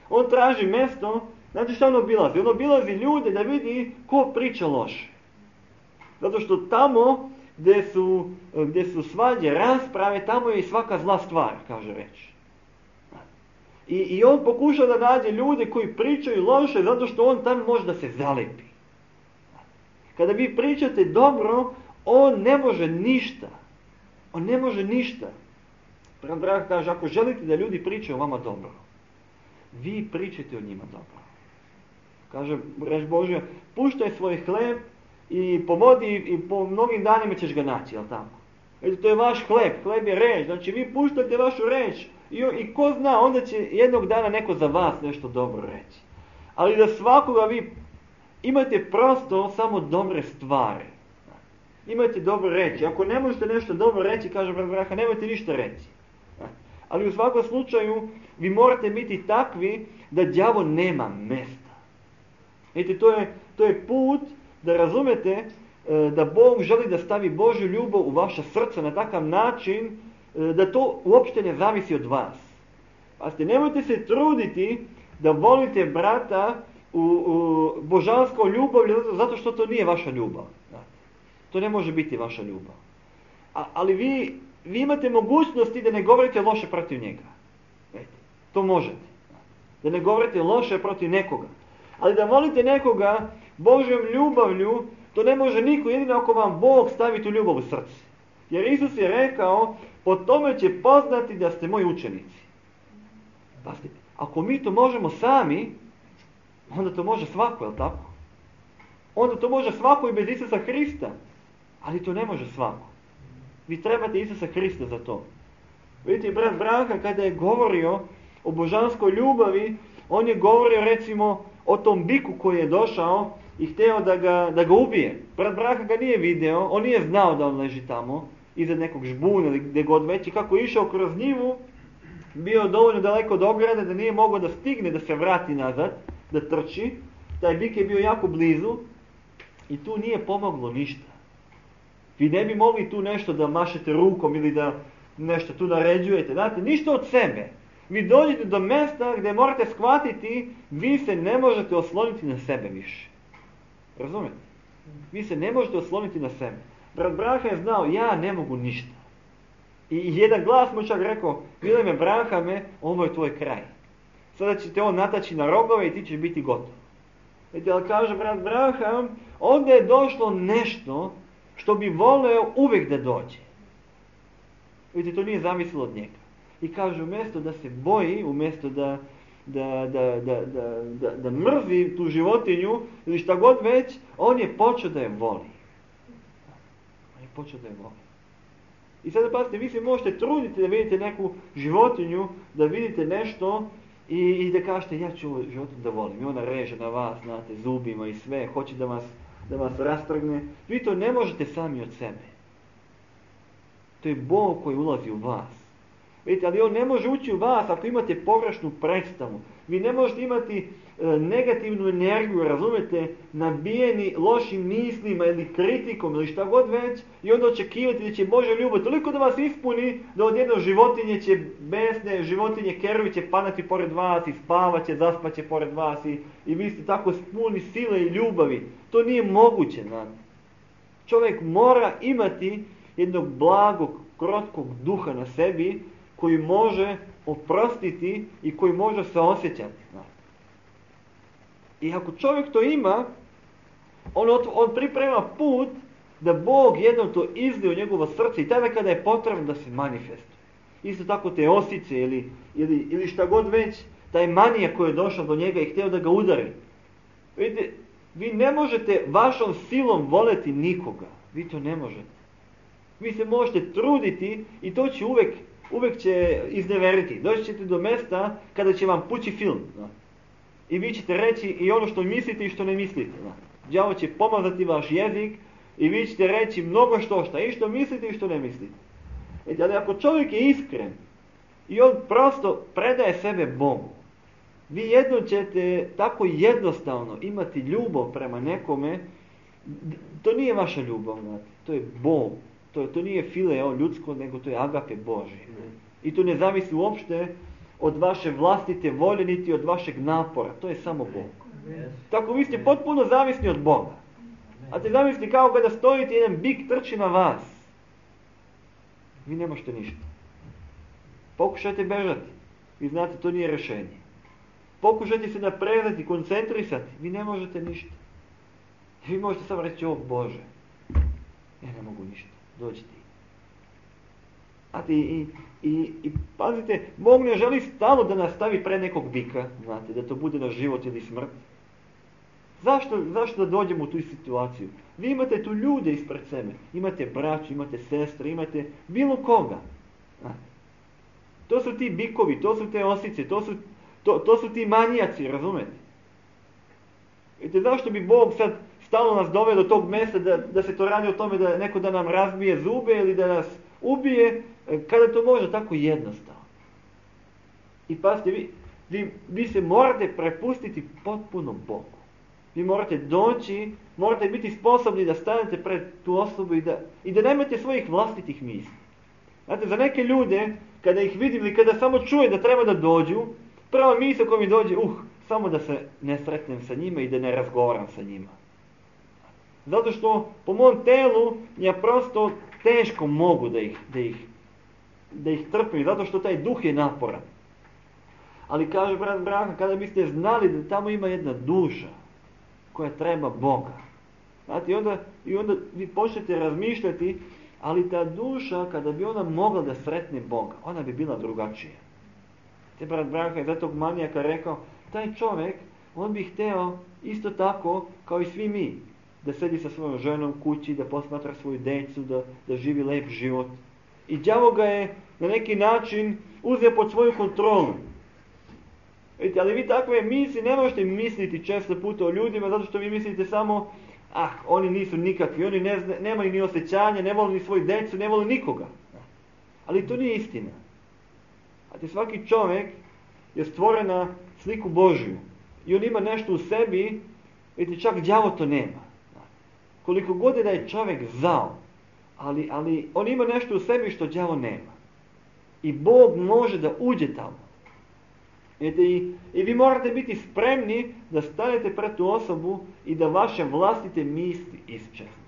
On traži mesto, znate što on obilazi? On obilazi ljude da vidi ko priča loše. Zato što tamo gdje su svađe, rasprave, tamo je i svaka zla stvar, kaže reč. I on pokuša da nađe ljude koji pričaju loše, zato što on tamo može da se zalepi. Kada vi pričate dobro, on ne može ništa. On ne može ništa. Brat Branham kaže, ako želite da ljudi pričaju o vama dobro, vi pričajte o njima dobro. Kaže reč Božja, puštaj svoj hleb i po vodi i po mnogim danima ćeš ga naći, jel tako? Eto, to je vaš hleb je reč, znači vi puštate vašu reč i ko zna, onda će jednog dana neko za vas nešto dobro reći. Ali da svakoga vi imate prosto samo dobre stvari. Imajte dobro reći. Ako ne možete nešto dobro reći, kaže brat Branham, nemojte ništa reći. Ali u svakom slučaju vi morate biti takvi da đavo nema mesta. Vidite, to je put da razumete da Bog želi da stavi Božju ljubav u vaše srce na takav način da to uopšte ne zavisi od vas. Pazite, nemojte se truditi da volite brata u božanskom ljubavlju zato što to nije vaša ljubav. To ne može biti vaša ljubav. Ali vi imate mogućnosti da ne govorite loše protiv njega. To možete. Da ne govorite loše protiv nekoga. Ali da volite nekoga Božjom ljubavlju, to ne može niko, jedino ako vam Bog stavi tu ljubav u srce. Jer Isus je rekao, po tome će poznati da ste moji učenici. Pazite, ako mi to možemo sami, onda to može svako, jel tako? Onda to može svako i bez Isusa Hrista. Ali to ne može svako. Vi trebate Isusa Hrista za to. Vidite, brat Branham kada je govorio o božanskoj ljubavi, on je govorio recimo o tom biku koji je došao i hteo da ga ubije. Brat Branham ga nije video, on nije znao da on leži tamo, iza nekog žbuna ili gdje god već, i kako je išao kroz njivu, bio dovoljno daleko od ograde da nije mogao da stigne da se vrati nazad, da trči. Taj bik je bio jako blizu i tu nije pomoglo ništa. Vi ne bi mogli tu nešto da mašete rukom ili da nešto tu naređujete. Znate, ništa od sebe. Vi dođete do mjesta gdje morate shvatiti, vi se ne možete osloniti na sebe više. Razumete? Vi se ne možete osloniti na sebe. Brat Branham je znao, ja ne mogu ništa. I jedan glas mu čak rekao, Vileme Branhame, ovo je tvoj kraj. Sada će te on nataći na rogove i ti ćeš biti gotov. Vidite, ali kaže brat Branham, ovdje je došlo nešto što bi voleo uvijek da dođe. Vidite, to nije zavisilo od njega. I kaže, umjesto da se boji, umjesto da mrzi tu životinju ili šta god već, on je počeo da je voli. On je počeo da je voli. I sada pazite, vi se možete truditi da vidite neku životinju, da vidite nešto i da kažete, ja ću ovu životinju da volim. I ona reže na vas, znate, zubima i sve, hoće da vas rastrgne. Vi to ne možete sami od sebe. To je Bog koji ulazi u vas. Vidite, ali on ne može ući u vas ako imate pogrešnu predstavu. Vi ne možete imati negativnu energiju, razumete, nabijeni lošim mislima ili kritikom ili šta god već i onda očekivati da će Božja ljubav toliko da vas ispuni da odjedno životinje će besne, životinje keruvi će padati pored vas i spavat će, zaspat će pored vas i vi ste tako puni sile i ljubavi. To nije moguće, znate. Čovjek mora imati jednog blagog, krotkog duha na sebi koji može oprostiti i koji može se osjećati. I ako čovjek to ima, on priprema put da Bog jednom to izlije u njegovo srce i tada kada je potrebno da se manifestuje. Isto tako te osice ili šta god već, taj manija koji je došao do njega i htio da ga udari. Vidite, Vi ne možete vašom silom voleti nikoga. Vi to ne možete. Vi se možete truditi i to će uvijek će izneveriti. Doći ćete do mjesta kada će vam pući film. I vi ćete reći i ono što mislite i što ne mislite. Đavo će pomazati vaš jezik i vi ćete reći mnogo što i što mislite i što ne mislite. Ali ako čovjek je iskren i on prosto predaje sebe Bogu, vi jednom ćete tako jednostavno imati ljubav prema nekome. To nije vaša ljubav, to je Bog. To nije fileo ljudsko, nego to je agape Božje. I to ne zavisi uopšte od vaše vlastite volje, niti od vašeg napora. To je samo Bog. Tako vi ste potpuno zavisni od Boga. A te zamisli kao kada stojite, jedan bik trči na vas. Vi ne možete ništa. Pokušajte bežati. Vi znate, to nije rješenje. Pokušajte se napredati, koncentrisati. Vi ne možete ništa. Vi možete samo reći, o Bože, ja ne mogu ništa. Dođi ti. Znate, i pazite, Bog ne želi stalno da nas stavi pred nekog bika, znate, da to bude na život ili smrt. Zašto da dođemo u tu situaciju? Vi imate tu ljude ispred sebe. Imate braću, imate sestre, imate bilo koga. Znate. To su ti bikovi, to su te osice, to su ti manijaci, razumete? Vidite, zašto bi Bog sad stalno nas doveo do tog mjesta da se to radi o tome da neko da nam razbije zube ili da nas ubije, kada to može tako jednostavno. I pazite, vi se morate prepustiti potpuno Bogu. Vi morate doći, morate biti sposobni da stanete pred tu osobu i da nemate svojih vlastitih misli. Znate, za neke ljude, kada ih vidim ili kada samo čuje da treba da dođu, prva misla koja mi dođe, samo da se ne sretnem sa njima i da ne razgovaram sa njima. Zato što po mom telu ja prosto teško mogu da ih trpim, zato što taj duh je naporan. Ali kaže brat Branko, kada biste znali da tamo ima jedna duša koja treba Boga. Znate, i onda vi počnete razmišljati, ali ta duša, kada bi ona mogla da sretne Boga, ona bi bila drugačija. Te brat Branko je za tog manijaka rekao, taj čovjek, on bi hteo isto tako kao i svi mi, da sedi sa svojom ženom kući, da posmatra svoju decu, da živi lep život. I đavo ga je na neki način uzeo pod svoju kontrolu. Vidite, ali vi takve misli ne možete misliti često puta o ljudima, zato što vi mislite samo, oni nisu nikakvi, oni nemaju ni osjećanja, ne vole ni svoju decu, ne vole nikoga. Ali to nije istina. A svaki čovjek je stvoren na sliku Božju. I on ima nešto u sebi, vidite, čak đavo to nema. Koliko god je da je čovjek zao, ali on ima nešto u sebi što đavo nema. I Bog može da uđe tamo. I vi morate biti spremni da stanete pred tu osobu i da vaše vlastite misli isčeznu.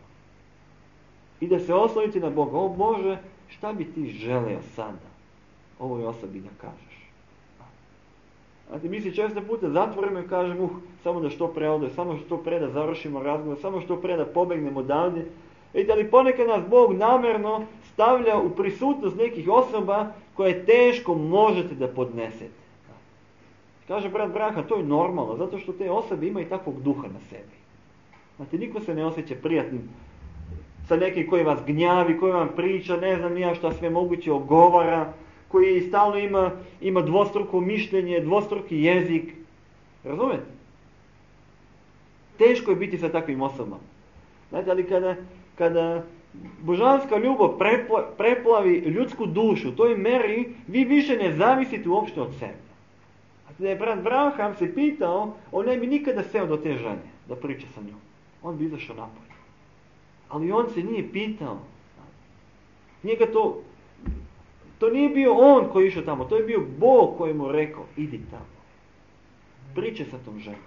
I da se oslonite na Boga. O Bože, šta bi ti želeo sada ovoj osobi da kažeš? Znate, mi se često puta zatvorimo i kažemo, samo da što pre ode, samo što pre da završimo razgovor, samo što pre da pobegnemo odavde. Vidite, ali ponekad nas Bog namjerno stavlja u prisutnost nekih osoba koje teško možete da podnesete. Kaže brat Branko, to je normalno, zato što te osobe imaju takvog duha na sebi. Znate, niko se ne osjeća prijatnim sa nekim koji vas gnjavi, koji vam priča, ne znam nija šta sve moguće ogovara, koji stalno ima dvostruko mišljenje, dvostruki jezik. Razumete? Teško je biti sa takvim osobama. Znate, ali kada božanska ljubav preplavi ljudsku dušu, u toj meri vi više ne zavisite uopšte od sebe. Da je brat Branham se pitao, on ne bi nikada seo do te žene da priča sa njom. On bi izašao napolje. Ali on se nije pitao. Njega to nije bio on koji je išao tamo, to je bio Bog koji mu rekao, idi tamo. Pričaj sa tom ženom.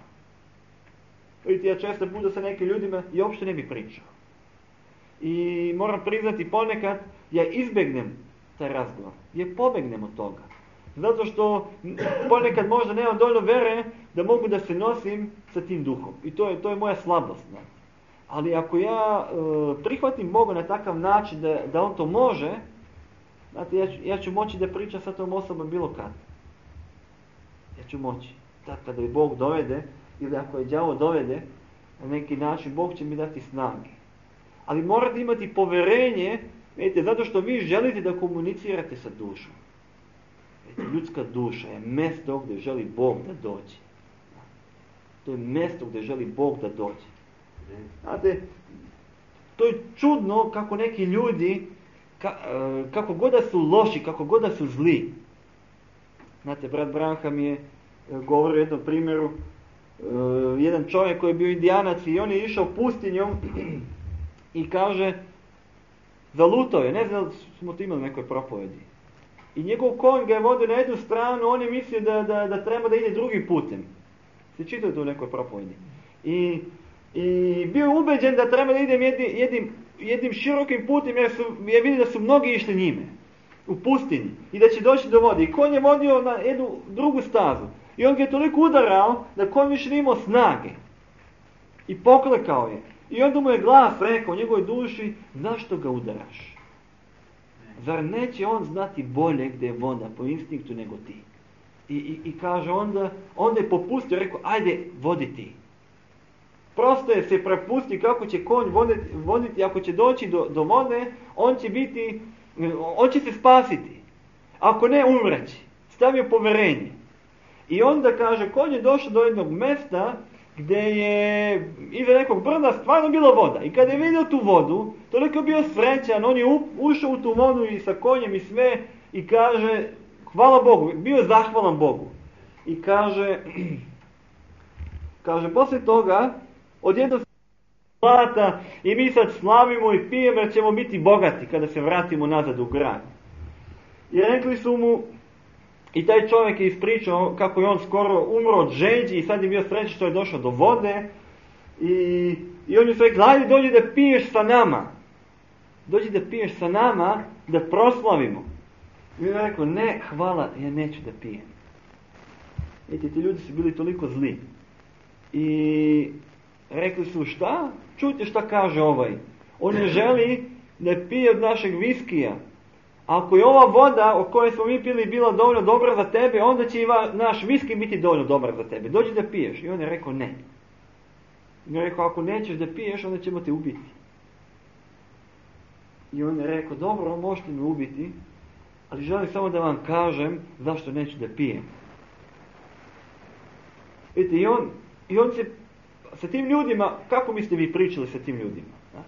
Vidite, ja često puta sa nekim ljudima i uopšte ne bi pričao. I moram priznati, ponekad ja izbjegnem taj razgovor. Ja pobegnem od toga. Zato što ponekad možda nemam dovoljno vere da mogu da se nosim sa tim duhom. I to je moja slabost. Ne? Ali ako ja prihvatim Boga na takav način da on to može, znate, ja ću moći da pričam sa tom osobom bilo kad. Ja ću moći. Tad kada je Bog dovede, ili ako je đavo dovede, Na neki način Bog će mi dati snage. Ali morate imati povjerenje, vidite, zato što vi želite da komunicirate sa dušom. Vidite, ljudska duša je mjesto gdje želi Bog da dođe. To je mjesto gdje želi Bog da dođe. Znate, to je čudno kako neki ljudi, kako god da su loši, kako god da su zli. Znate, brat Branham je govorio o jednom primjeru, jedan čovjek koji je bio indijanac i on je išao pustinjom i kaže, zalutao je, ne znam, smo to imali u nekoj propovedi. I njegov konj ga je vodio na jednu stranu, on je mislio da treba da ide drugim putem. Se čitao to u nekoj propovedi. I bio je ubeđen da treba da idem jednim širokim putem jer je vidio da su mnogi išli njime u pustinji i da će doći do vode. I konj je vodio na jednu drugu stazu. I on ga je toliko udarao da konj više nije imao snage. I poklekao je. I onda mu je glas rekao u njegovoj duši, zašto ga udaraš? Zar neće on znati bolje gdje je voda po instinktu nego ti? I kaže onda je popustio, rekao, ajde, vodi ti. Prosto je se prepusti kako će konj voditi, ako će doći do vode, on će se spasiti. Ako ne, umreći. Stavio povjerenje. I onda kaže, konj je došao do jednog mjesta gdje je iza nekog brda stvarno bila voda. I kada je vidio tu vodu, toliko je bio srećan, on je ušao u tu vodu i sa konjem i sve i kaže, hvala Bogu, bio je zahvalan Bogu. I kaže, poslije toga, odjednom zlata i mi sad slavimo i pijemo jer ćemo biti bogati kada se vratimo nazad u grad. I rekli su mu, i taj čovjek je ispričao kako je on skoro umro od žeđi i sad je bio srećan što je došao do vode. I on je su rekli, ajde dođi da piješ sa nama. Dođi da piješ sa nama, da proslavimo. I on je rekao, ne, hvala, ja neću da pijem. Vidite, ti ljudi su bili toliko zli. I rekli su, šta? Čujte šta kaže ovaj. On ne želi da pije od našeg viskija. Ako je ova voda o kojoj smo mi pili bila dovoljno dobra za tebe, onda će i naš viski biti dovoljno dobar za tebe. Dođi da piješ. I on je rekao ne. I on je rekao, ako nećeš da piješ, onda ćemo te ubiti. I on je rekao, dobro, možete me ubiti, ali želim samo da vam kažem zašto neću da pijem. Vidite, i on se sa tim ljudima, kako biste vi pričali sa tim ljudima? Da?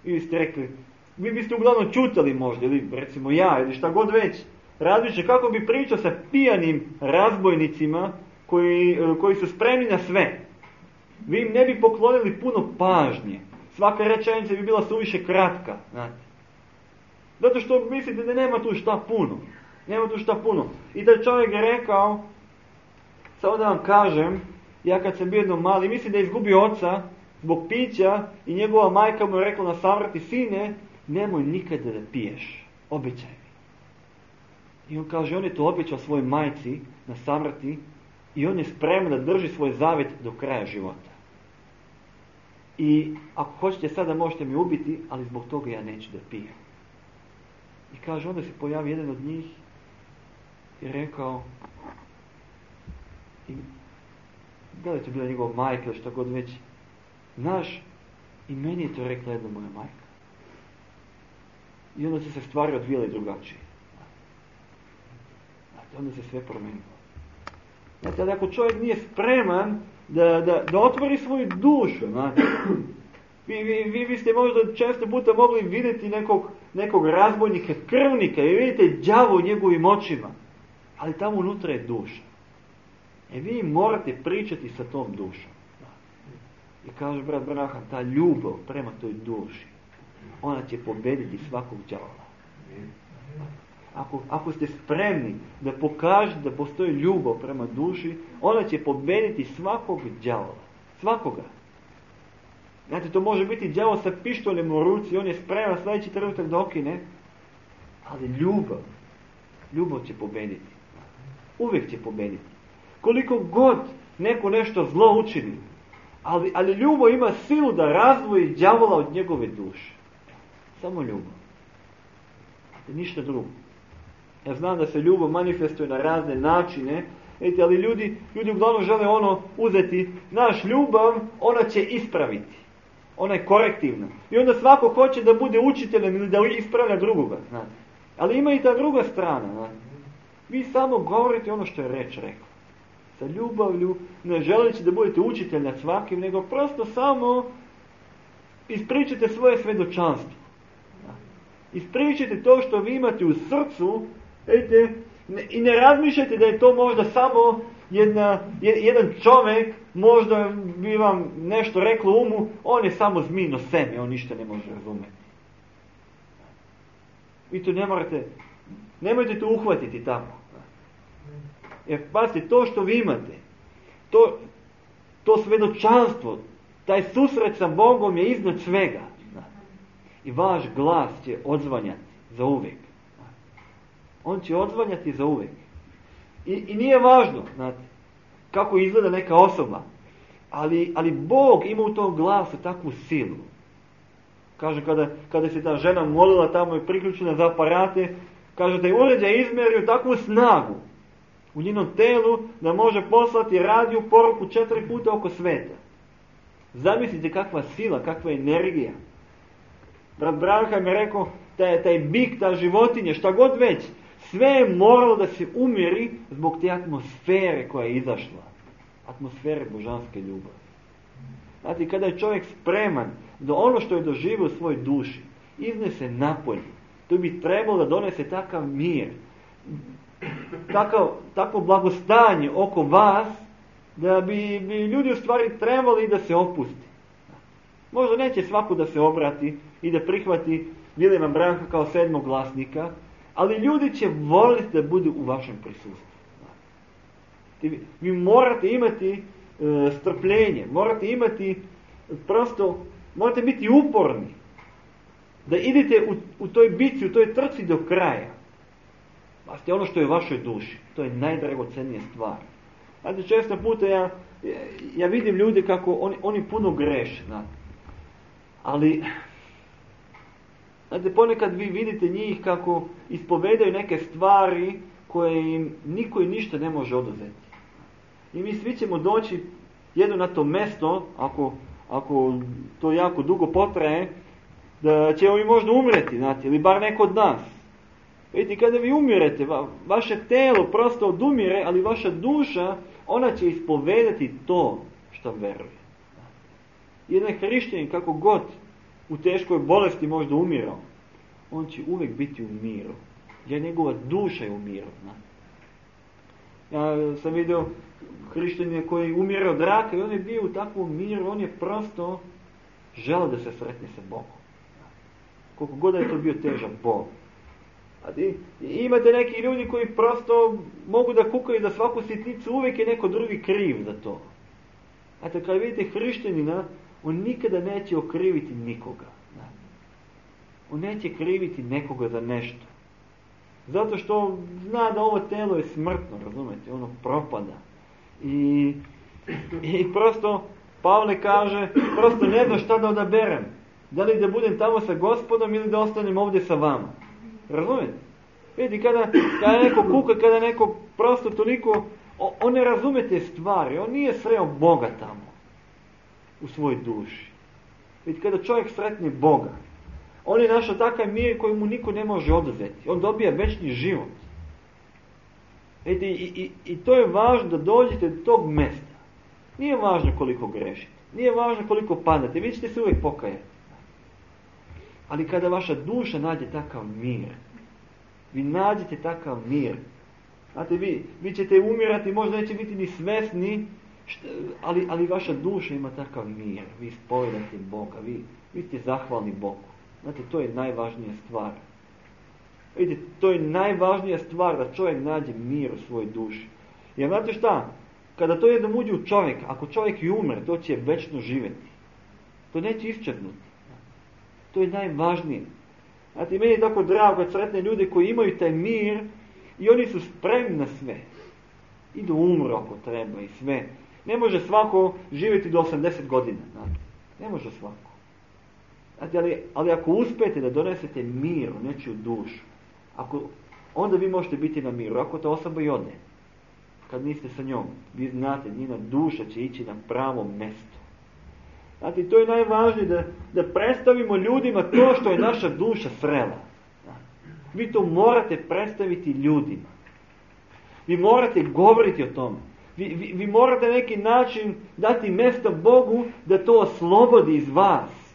I vi ste rekli, vi biste uglavnom čutali možda, ili recimo ja, ili šta god već. Različe, kako bi pričao sa pijanim razbojnicima koji su spremni na sve. Vi im ne bi poklonili puno pažnje. Svaka rečenica bi bila suviše kratka. Znate. Zato što mislite da nema tu šta puno. Nema tu šta puno. I taj čovjek je rekao, samo da vam kažem, ja kad sam bio jednom mali, mislim da je izgubio oca zbog pića i njegova majka mu je rekla na samrti, sine, nemoj nikada da piješ, obećaj mi. I on kaže, on je to obećao svojoj majci na samrti i on je spreman da drži svoj zavjet do kraja života. I ako hoćete sada možete mi ubiti, ali zbog toga ja neću da pijem. I kaže, onda se pojavi jedan od njih i rekao, da li je to bila njegova majka ili što god već, znaš, i meni je to rekla jedna moja majka. I onda su se stvari odvijale drugačije. Znate, onda se sve promenilo. Znate, ali ako čovjek nije spreman da otvori svoju dušu, znate, vi biste možda često puta mogli vidjeti nekog razbojnika, krvnika i vidite đavo u njegovim očima, ali tamo unutra je duša. Vi morate pričati sa tom dušom. I kaže brat Branham, ta ljubav prema toj duši, ona će pobediti svakog đavola. Ako ste spremni da pokažete da postoji ljubav prema duši, ona će pobediti svakog đavola. Svakoga. Znate, to može biti đavo sa pištoljem u ruci, on je spreman sljedeći trenutak da okine, ali ljubav će pobediti. Uvijek će pobediti. Koliko god neko nešto zlo učini, ali ljubav ima silu da razdvoji đavola od njegove duše. Samo ljubav. Ništa drugo. Ja znam da se ljubav manifestuje na razne načine Vidite, ali ljudi uglavnom žele uzeti naš ljubav, ona će ispraviti. Ona je korektivna. I onda svako hoće da bude učiteljem ili da ispravlja drugoga. Znate. Ali ima i ta druga strana. Znate. Vi samo govorite ono što je reč rekao. Sa ljubavlju, ne želeći da budete učitelj nad svakim, nego prosto samo ispričajte svoje svedočanstvo. Ispričajte to što vi imate u srcu, vidite, i ne razmišljajte da je to možda samo jedan čovjek, možda bi vam nešto reklo u umu, on je samo zmijno seme, on ništa ne može razumjeti. Vi to nemojte to uhvatiti tako. Jer pazite, to što vi imate, to svedočanstvo, taj susret sa Bogom je iznad svega. I vaš glas će odzvanjati za uvijek. On će odzvanjati za uvijek. I nije važno, znate, kako izgleda neka osoba, ali Bog ima u tom glasu takvu silu. Kaže, kada se ta žena molila tamo i priključena za aparate, kaže da je uređaj izmjerio takvu snagu u njenom telu da može poslati radio poruku 4 puta oko sveta. Zamislite kakva sila, kakva energija. Brat Branham je rekao, taj bik, ta životinja, šta god već, sve je moralo da se umiri zbog te atmosfere koja je izašla. Atmosfere božanske ljubavi. Znate, kada je čovjek spreman da ono što je doživio u svojoj duši iznese napolje, to bi trebalo da donese takav mir, takvo blagostanje oko vas, da bi ljudi u stvari trebali da se opusti. Možda neće svako da se obrati i da prihvati Viljama Branka kao 7. glasnika, ali ljudi će voliti da budu u vašem prisustvu. Vi morate imati strpljenje, morate biti uporni, da idete u toj bitci, u toj trci do kraja. Pazite, ono što je u vašoj duši, to je najdragocenija stvar. Znate, često puta ja vidim ljude kako oni puno greše, ali znate, ponekad vi vidite njih kako ispovedaju neke stvari koje im niko i ništa ne može oduzeti. I mi svi ćemo doći jedno na to mesto, ako to jako dugo potraje, da ćemo mi možda umreti, znate, ili bar neko od nas. Vidite, kada vi umirete, vaše telo prosto odumire, ali vaša duša, ona će ispovedati to što veruje. Jedan hrišćanin, kako god u teškoj bolesti možda umirao, on će uvijek biti u miru. Jer njegova duša je u miru. Ja sam vidio hrišćanina koji umire od raka i on je bio u takvom miru, on je prosto želeo da se sretne sa Bogom. Koliko god je to bio težak Bog. I imate neki ljudi koji prosto mogu da kukaju za svaku sitnicu, uvijek je neko drugi kriv za to. Znate, kada vidite hrišćanina, on nikada neće okriviti nikoga. On neće kriviti nekoga za nešto. Zato što zna da ovo telo je smrtno, razumete, ono propada. I prosto, Pavle kaže, prosto ne znam šta da odaberem. Da li da budem tamo sa Gospodom ili da ostanem ovdje sa vama. Razumete? Vidite, kada neko kuka, kada neko prosto toliko, on ne razume te stvari, on nije sreo Boga tamo, u svojoj duši. Vidite, kada čovjek sretne Boga, on je našao takav mir koji mu niko ne može oduzeti. On dobija večni život. Vidite, i to je važno da dođete do tog mjesta. Nije važno koliko grešite, nije važno koliko padate, vi ćete se uvijek pokajati. Ali kada vaša duša nađe takav mir, vi nađete takav mir. Znate, vi ćete umirati, možda neće biti ni svesni, ali vaša duša ima takav mir. Vi ispovedate Boga, vi ste zahvalni Bogu. Znate, to je najvažnija stvar. Vidite, to je najvažnija stvar da čovjek nađe mir u svojoj duši. Jer znate šta? Kada to jednom uđe u čovjeka, ako čovjek i umre, to će večno živjeti. To neće isčeznuti. To je najvažnije. Znate, meni je tako drago kad sretne ljude koji imaju taj mir i oni su spremni na sve. I da umru ako treba i sve. Ne može svako živjeti do 80 godina. Znate. Ne može svako. Znate, ali ako uspijete da donesete mir u nečiju dušu, onda vi možete biti na miru, ako ta osoba i ode. kad niste sa njom. Vi znate, njena duša će ići na pravo mjesto. Znate, to je najvažnije, da predstavimo ljudima to što je naša duša srela. Vi to morate predstaviti ljudima. Vi morate govoriti o tome. Vi morate na neki način dati mjesto Bogu da to oslobodi iz vas.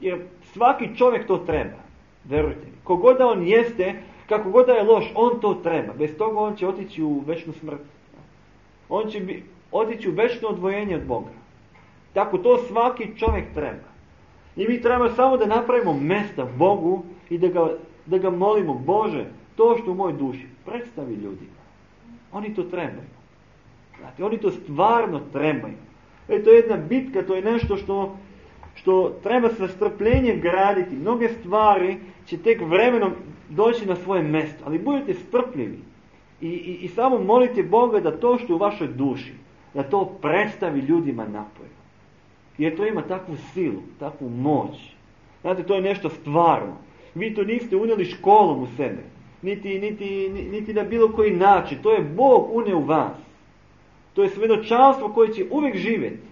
Jer svaki čovjek to treba. Verujte mi. Kogod da on jeste, kako god da je loš, on to treba. Bez toga on će otići u večnu smrt. On će otići u večno odvojenje od Boga. Tako to svaki čovjek treba. I mi trebamo samo da napravimo mjesta Bogu i da ga molimo, Bože, to što u mojoj duši predstavi ljudima. Oni to trebaju. Znate, oni to stvarno trebaju. To je jedna bitka, to je nešto što treba sa strpljenjem graditi. Mnoge stvari će tek vremenom doći na svoje mjesto. Ali budite strpljivi. I samo molite Boga da to što u vašoj duši, da to predstavi ljudima napolje. Jer to ima takvu silu, takvu moć. Znate, to je nešto stvarno. Vi to niste unijeli školom u sebe. Niti na bilo koji način. To je Bog unio u vas. To je svjedočanstvo koje će uvijek živjeti.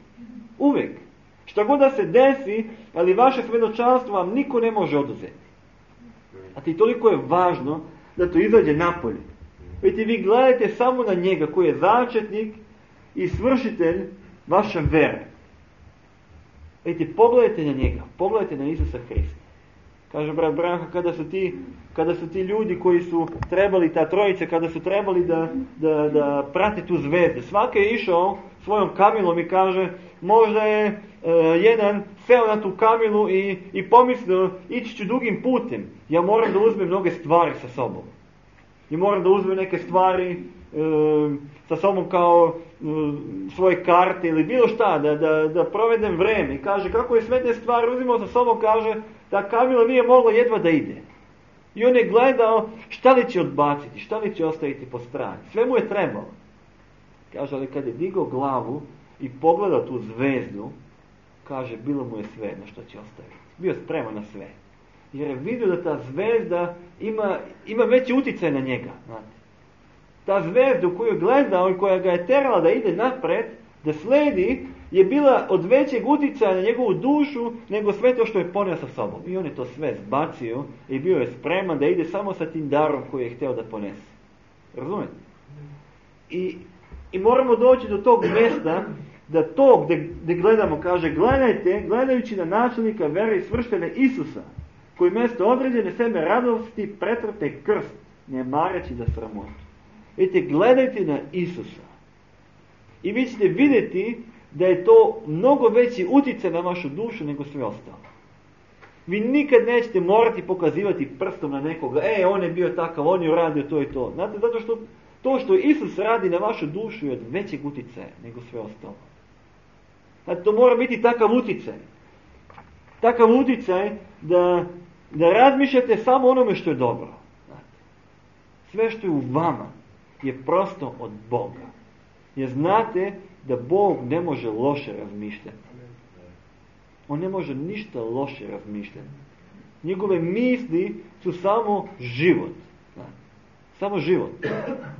Uvijek. Šta god da se desi, ali vaše svjedočanstvo vam niko ne može oduzeti. A ti toliko je važno da to izađe napolje. Vidite, vi gledajte samo na njega koji je začetnik i svršitelj vaše vere. Vidite, pogledajte na njega. Pogledajte na Isusa Hrista. Kaže brat Branko, kada su ti ljudi koji su trebali, ta trojica, kada su trebali da prate tu zvezdu. Svaki je išao svojom kamilom i kaže, možda je jedan seo na tu kamilu i pomislio, ići ću dugim putem. Ja moram da uzmem mnoge stvari sa sobom. I moram da uzmem neke stvari sa sobom kao svoje karte ili bilo šta, da provedem vreme. I kaže, kako je sve te stvari uzimao sa sobom, kaže, ta kamila nije mogla jedva da ide. I on je gledao šta li će odbaciti, šta li će ostaviti po strani. Sve mu je trebalo. Kaže, ali kad je digao glavu i pogledao tu zvezdu, kaže, bilo mu je sve na što će ostaviti. Bio spreman na sve. Jer je vidio da ta zvezda ima veći utjecaj na njega. Znate. Ta zvezda koju je gledao i koja ga je terala da ide napred, da sledi, je bila od većeg utjecaja na njegovu dušu nego sve to što je ponio sa sobom. I on je to sve zbacio i bio je spreman da ide samo sa tim darom koji je htio da ponese. Razumijete? I moramo doći do tog mjesta da to gdje gledamo, kaže, gledajte, gledajući na načelnika vere i svršitelja Isusa, koji mjesto određene sebe radosti pretrpe krst, ne mareći za sramotu. Vidite, gledajte na Isusa. I vi ćete vidjeti da je to mnogo veći utjecaj na vašu dušu nego sve ostalo. Vi nikad nećete morati pokazivati prstom na nekoga, on je bio takav, on je uradio to i to. Znate, zato što to što Isus radi na vašu dušu je od većeg utjecaja nego sve ostalo. Znate, to mora biti takav utjecaj. Takav utjecaj da razmišljate samo onome što je dobro. Znate, sve što je u vama je prosto od Boga. Jer znate da Bog ne može loše razmišljati. On ne može ništa loše razmišljati. Njegove misli su samo život. Samo život.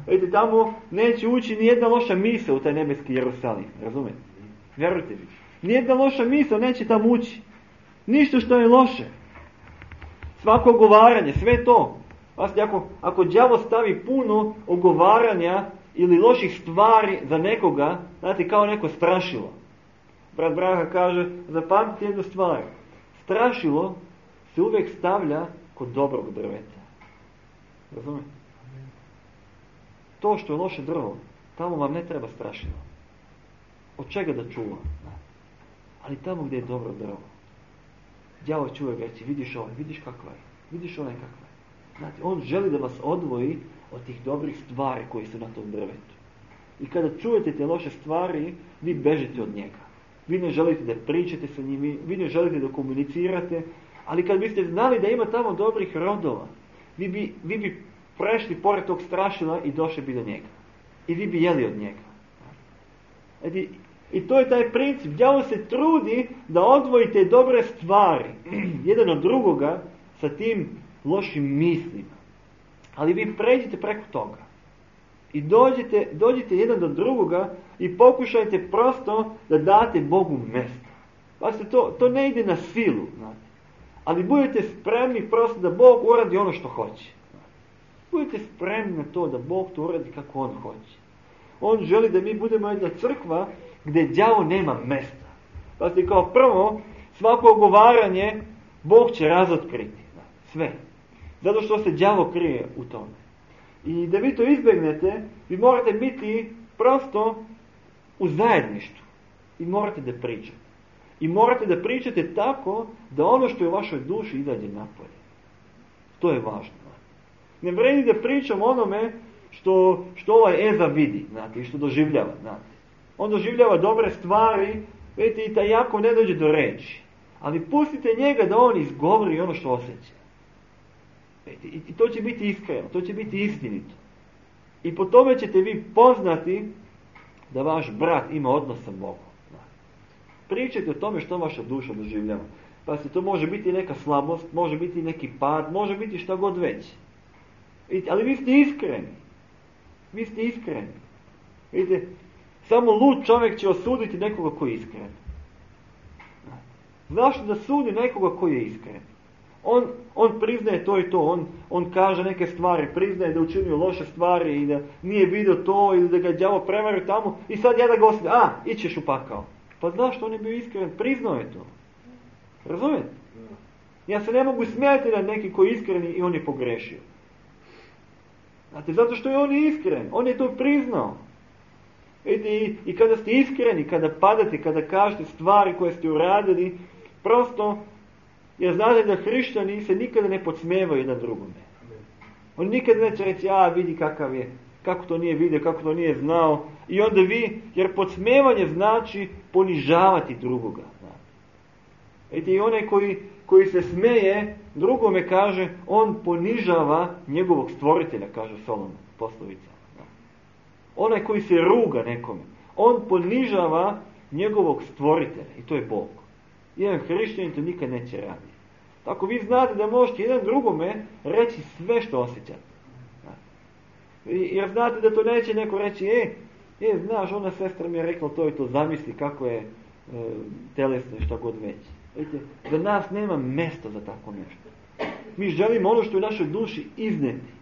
Vidite, tamo neće ući ni jedna loša misao u taj nebeski Jerusalim. Razumijete? Vjerujte mi. Nijedna loša misao neće tamo ući. Ništa što je loše. Svako ogovaranje, sve to. Ako đavo stavi puno ogovaranja ili loših stvari za nekoga, znate, kao neko strašilo. Brat Braha kaže, zapamtite jednu stvar. Strašilo se uvijek stavlja kod dobrog drveta. Razumijete? To što je loše drvo, tamo vam ne treba strašilo. Od čega da čuva? Ali tamo gdje je dobro drvo. Đavo će uvijek reći, vidiš ovaj, vidiš kakva je, vidiš onaj kakva je. Znate, on želi da vas odvoji od tih dobrih stvari koji su na tom drvetu. I kada čujete te loše stvari, vi bežite od njega. Vi ne želite da pričate sa njim, vi ne želite da komunicirate, ali kad biste znali da ima tamo dobrih rodova, vi bi prešli pored tog strašila i došli bi do njega. I vi bi jeli od njega. I to je taj princip. Đavo se trudi da odvojite dobre stvari jedan od drugoga sa tim lošim mislima. Ali vi pređite preko toga. I dođite jedan do drugoga i pokušajte prosto da date Bogu mjesto. Pa se to ne ide na silu, znate. Ali budete spremni prosto da Bog uradi ono što hoće. Budete spremni na to da Bog to uradi kako On hoće. On želi da mi budemo jedna crkva gdje đavo nema mjesta. Pa se kao prvo, svako ogovaranje Bog će razotkriti. Sve. Zato što se đavo krije u tome. I da vi to izbjegnete, vi morate biti prosto u zajedništvu. I morate da pričate. I morate da pričate tako da ono što je u vašoj duši izađe napolje. To je važno. Ne vredi da pričam onome što ovaj Eza vidi, znate, i što doživljava. Znate. On doživljava dobre stvari, vidite, i taj Jakov ne dođe do reči. Ali pustite njega da on izgovori ono što osjeća. I to će biti iskreno, to će biti istinito. I po tome ćete vi poznati da vaš brat ima odnos sa Bogom. Pričajte o tome što vaša duša doživljava. Pa se to može biti neka slabost, može biti neki pad, može biti šta god već. Ali vi ste iskreni. Vi ste iskreni. Vidite, samo lud čovjek će osuditi nekoga koji je iskren. Zašto da sudi nekoga koji je iskren? On priznaje to i to, on kaže neke stvari, priznaje da učinio loše stvari i da nije vidio to ili da ga đavo prevario tamo i sad ja da ga osudim, ićeš u pakao. Pa zašto on je bio iskren? Priznao je to. Razumijete? Ja se ne mogu smijati na neki koji je iskreni i on je pogrešio. Znate, zato što je on iskren, on je to priznao. I kada ste iskreni, kada padate, kada kažete stvari koje ste uradili, prosto, jer znate da hrišćani se nikada ne podsmijevaju jedan drugome. On nikada neće reći, vidi kakav je, kako to nije vidio, kako to nije znao. I onda vi, jer podsmijevanje znači ponižavati drugoga. I onaj koji se smeje, drugome kaže, on ponižava njegovog stvoritelja, kaže Solomon, poslovica. Onaj koji se ruga nekome, on ponižava njegovog stvoritelja i to je Bog. Jedan hrišćanin to nikad neće raditi. Tako vi znate da možete jedan drugome reći sve što osjećate. Jer znate da to neće neko reći, znaš, ona sestra mi je rekla to i to, zamisli kako je telesno i šta god već. Vidite, za nas nema mjesta za tako nešto. Mi želimo ono što je u našoj duši izneti.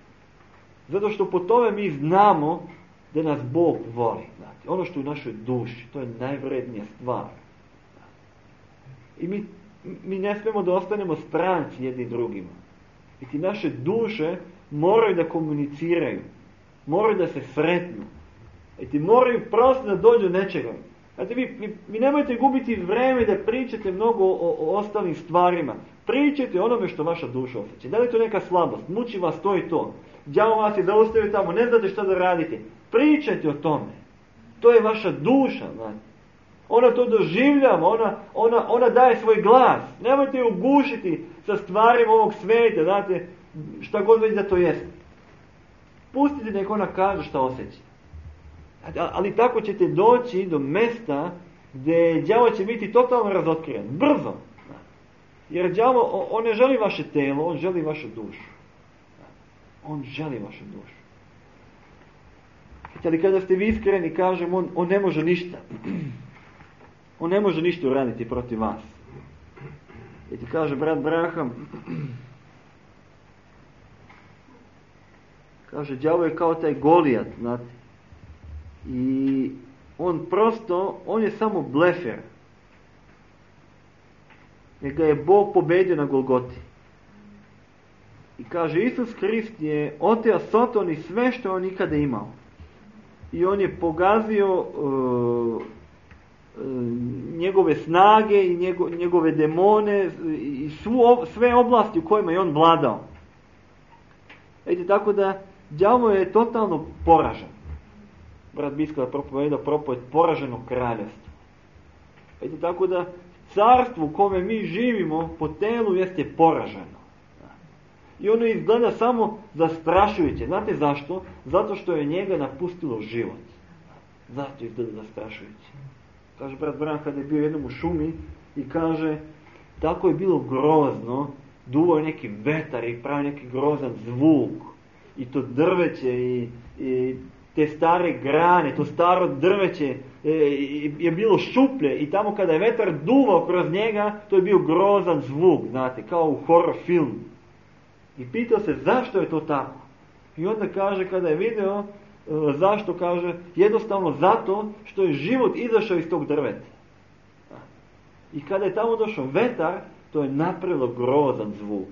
Zato što po tome mi znamo da nas Bog voli. Znate. Ono što je u našoj duši, to je najvrednija stvar. I mi ne smijemo da ostanemo stranci jedni drugima. I ti naše duše moraju da komuniciraju. Moraju da se sretnu. I ti moraju prosto da dođu do nečega. Znate, vi nemojte gubiti vreme da pričate mnogo o ostalim stvarima. Pričajte o onome što vaša duša osjeća. Da li je to neka slabost? Muči vas to i to. Đavo vas je zaustavio tamo, ne znate šta da radite. Pričajte o tome. To je vaša duša. Znate. Ona to doživljava, ona daje svoj glas. Nemojte ju ugušiti sa stvarima ovog svijeta, znate, šta god već da to jeste. Pustite nek ona kaže šta osjeća. Ali tako ćete doći do mjesta gdje đavo će biti totalno razotkriven. Brzo. Jer đavo, on ne želi vaše telo, on želi vašu dušu. On želi vašu dušu. Ali kada ste vi iskreni, kažem, on ne može ništa. On ne može ništa uraditi protiv vas. I ti kaže brat Braham, kaže, đavo je kao taj Golijat, znate. I on je samo blefer. Jer ga je Bog pobedio na Golgoti. I kaže, Isus Krist je oteo Soton i sve što je on ikada imao. I on je pogazio njegove snage i njegove demone i sve oblasti u kojima je on vladao. Vidite, tako da đavo je totalno poražen. Brat Biskova propovedao propoved poraženog kraljevstva. Vidite, tako da carstvo u kome mi živimo po telu jeste poraženo. I ono izgleda samo zastrašujuće. Znate zašto? Zato što je njega napustilo život. Zato izgleda zastrašujuće. Kaže brat Bran kada je bio jednom u šumi i kaže, tako je bilo grozno, duvao je neki vetar i pravi neki grozan zvuk i to drveće i te stare grane, to staro drveće je bilo šuplje i tamo kada je vetar duvao kroz njega, to je bio grozan zvuk, znate, kao u horror filmu. I pitao se zašto je to tako. I onda kaže, kada je video zašto, kaže, jednostavno zato što je život izašao iz tog drveta. I kada je tamo došao vetar, to je napravilo grozan zvuk.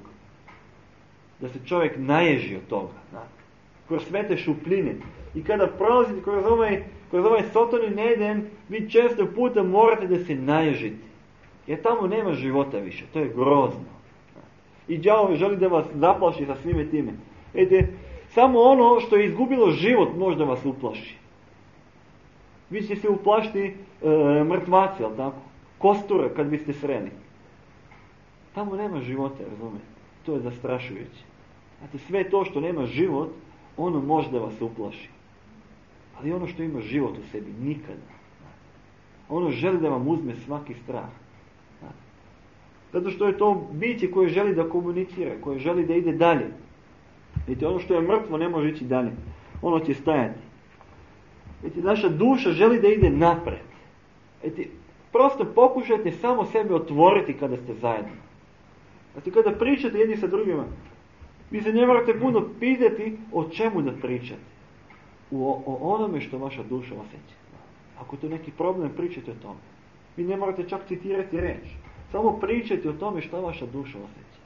Da se čovjek naježi od toga. Kroz sve te šupljine. I kada prolazite kroz ovaj Sotonin Eden, vi često puta morate da se naježite. Jer tamo nema života više. To je grozno. I đavo želi da vas zaplaši sa svime time. Vidite, samo ono što je izgubilo život možda vas uplaši. Vi ćete se uplašiti mrtvaci, ali tako? Kosture kad biste sreli. Tamo nema života, razumijete? To je zastrašujuće. Znate, sve to što nema život, ono može da vas uplaši. Ali ono što ima život u sebi, nikada. Ono želi da vam uzme svaki strah. Zato što je to biće koje želi da komunicira, koje želi da ide dalje. Vidite, ono što je mrtvo ne može ići dalje. Ono će stajati. Vidite, naša duša želi da ide napred. Vidite, prosto pokušajte samo sebe otvoriti kada ste zajedno. Znači, kada pričate jedni sa drugima, vi se ne morate puno pitati o čemu da pričate. O onome što vaša duša osjeća. Ako to je neki problem, pričajte o tome. Vi ne morate čak citirati reč. Samo pričajte o tome što vaša duša osjeća.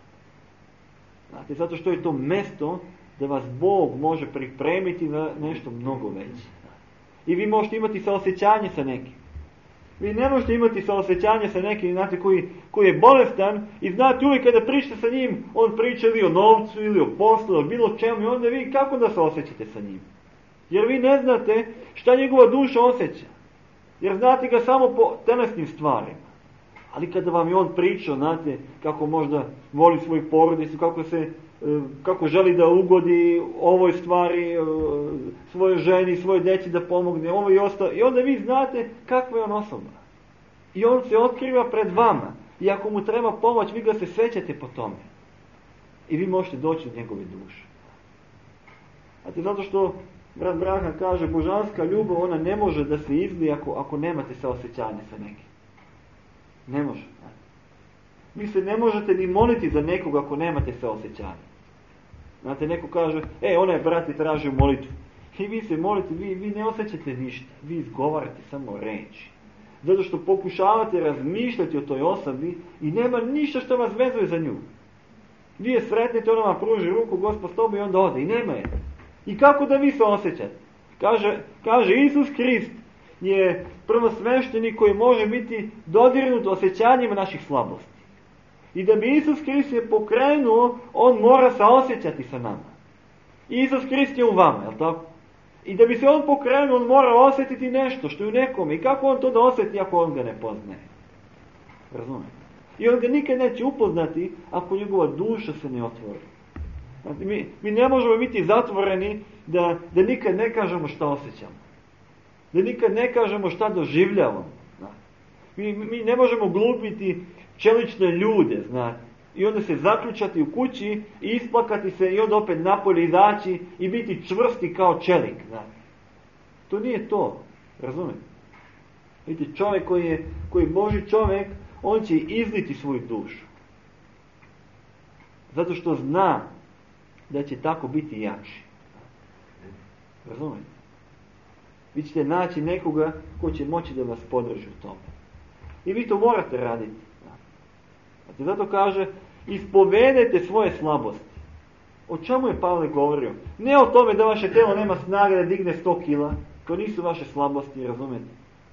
Znate, zato što je to mjesto da vas Bog može pripremiti za nešto mnogo veće. I vi možete imati saosjećanje sa nekim. Vi ne možete imati saosjećanje sa nekim, znate, koji je bolestan i znate uvijek kada pričate sa njim, on priča ili o novcu, ili o poslu, ili bilo čemu, i onda vi kako da se osjećate sa njim? Jer vi ne znate šta njegova duša osjeća. Jer znate ga samo po telesnim stvarima. Ali kada vam je on pričao, znate, kako možda voli svoju porodicu, kako želi da ugodi ovoj stvari, svojoj ženi, svojoj djeci da pomogne, ovo i ostalo. I onda vi znate kakva je on osoba. I on se otkriva pred vama. I ako mu treba pomoć, vi ga se sećate po tome. I vi možete doći do njegove duše. Znate, zato što brat Branham kaže, božanska ljubav, ona ne može da se izlije ako nemate saosjećanje sa nekim. Ne može. Vi se ne možete ni moliti za nekoga ako nemate saosjećanje. Znate, neko kaže, onaj brat je tražio molitvu. I vi se molite, vi ne osjećate ništa. Vi izgovarate samo reči. Zato što pokušavate razmišljati o toj osobi i nema ništa što vas vezuje za nju. Vi je sretnete, ona vam pruži ruku, Gospod s tobom, i onda ode. I nema je. I kako da vi se osjećate? Kaže Isus Krist je prvosveštenik koji može biti dodirnut osjećanjima naših slabosti. I da bi Isus Krist je pokrenuo, on mora saosjećati sa nama. Isus Krist je u vama, je li tako? I da bi se on pokrenuo, on mora osjetiti nešto što je u nekome. I kako on to da osjeti ako on ga ne poznaje? Razumijete? I on ga nikad neće upoznati ako njegova duša se ne otvori. Znači, mi ne možemo biti zatvoreni da nikad ne kažemo šta osjećamo. Da nikad ne kažemo šta doživljavamo. Mi ne možemo glupiti čelične ljude, znate. I onda se zaključati u kući i isplakati se i onda opet napolje izaći i biti čvrsti kao čelik, znate. To nije to, razumijete? Vidite, čovjek koji je Božji čovjek, on će izliti svoju dušu. Zato što zna da će tako biti jači. Razumijete? Vi ćete naći nekoga ko će moći da vas podrži u tome. I vi to morate raditi. Znate, zato kaže, ispovedajte svoje slabosti. O čemu je Pavle govorio? Ne o tome da vaše telo nema snage da digne 100 kila. To nisu vaše slabosti, razumijete?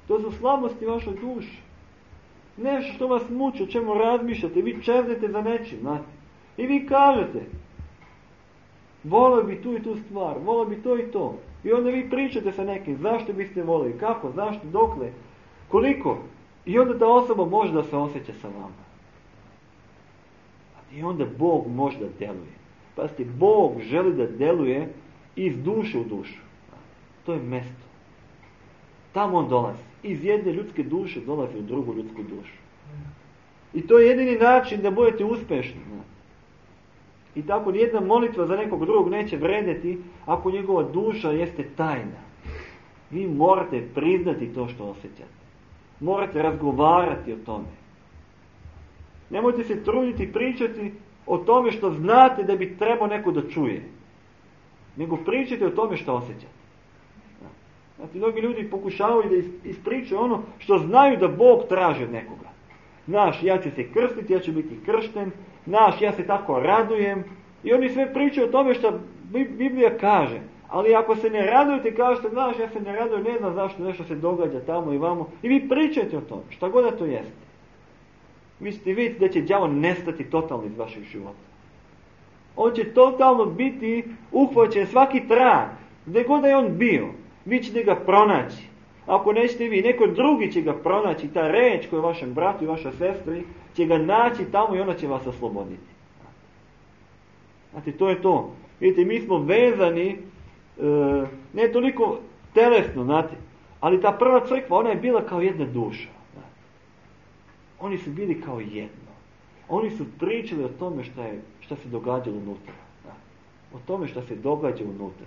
To su slabosti vaše duše. Nešto što vas muči, o čemu razmišljate. Vi čeznete za nečim, znate. I vi kažete, volio bi tu i tu stvar, volio bi to i to. I onda vi pričate sa nekim, zašto biste volili, kako, zašto, dokle, koliko. I onda ta osoba može da se osjeća sa vama. I onda Bog može da djeluje. Pazite, Bog želi da djeluje iz duše u dušu. To je mjesto. Tamo on dolazi. Iz jedne ljudske duše dolazi u drugu ljudsku dušu. I to je jedini način da budete uspješni. I tako nijedna molitva za nekog drugog neće vredjeti ako njegova duša jeste tajna. Vi morate priznati to što osjećate. Morate razgovarati o tome. Nemojte se truditi pričati o tome što znate da bi trebao neko da čuje. Nego pričajte o tome što osjećate. Znači, mnogi ljudi pokušavaju da ispričaju ono što znaju da Bog traži od nekoga. Znaš, ja ću se krstiti, ja ću biti kršten. Znaš, ja se tako radujem. I oni sve pričaju o tome što Biblija kaže. Ali ako se ne radujete, kažete, znaš, ja se ne radujem, ne znam zašto nešto se događa tamo i vamo. I vi pričajte o tome, šta god da to jeste. Vi ćete vidjeti da će đavo nestati totalno iz vašeg života. On će totalno biti uhvaćen svaki trag. Gdje god da je on bio, vi ćete ga pronaći. Ako nećete vi, neko drugi će ga pronaći. Ta reč koja je vašem bratu i vašoj sestri će ga naći tamo i ona će vas osloboditi. Znate, to je to. Vidite, mi smo vezani, ne toliko telesno, znate, ali ta prva crkva, ona je bila kao jedna duša. Znate. Oni su bili kao jedno. Oni su pričali o tome šta se događalo unutra. Znate. O tome šta se događa unutra.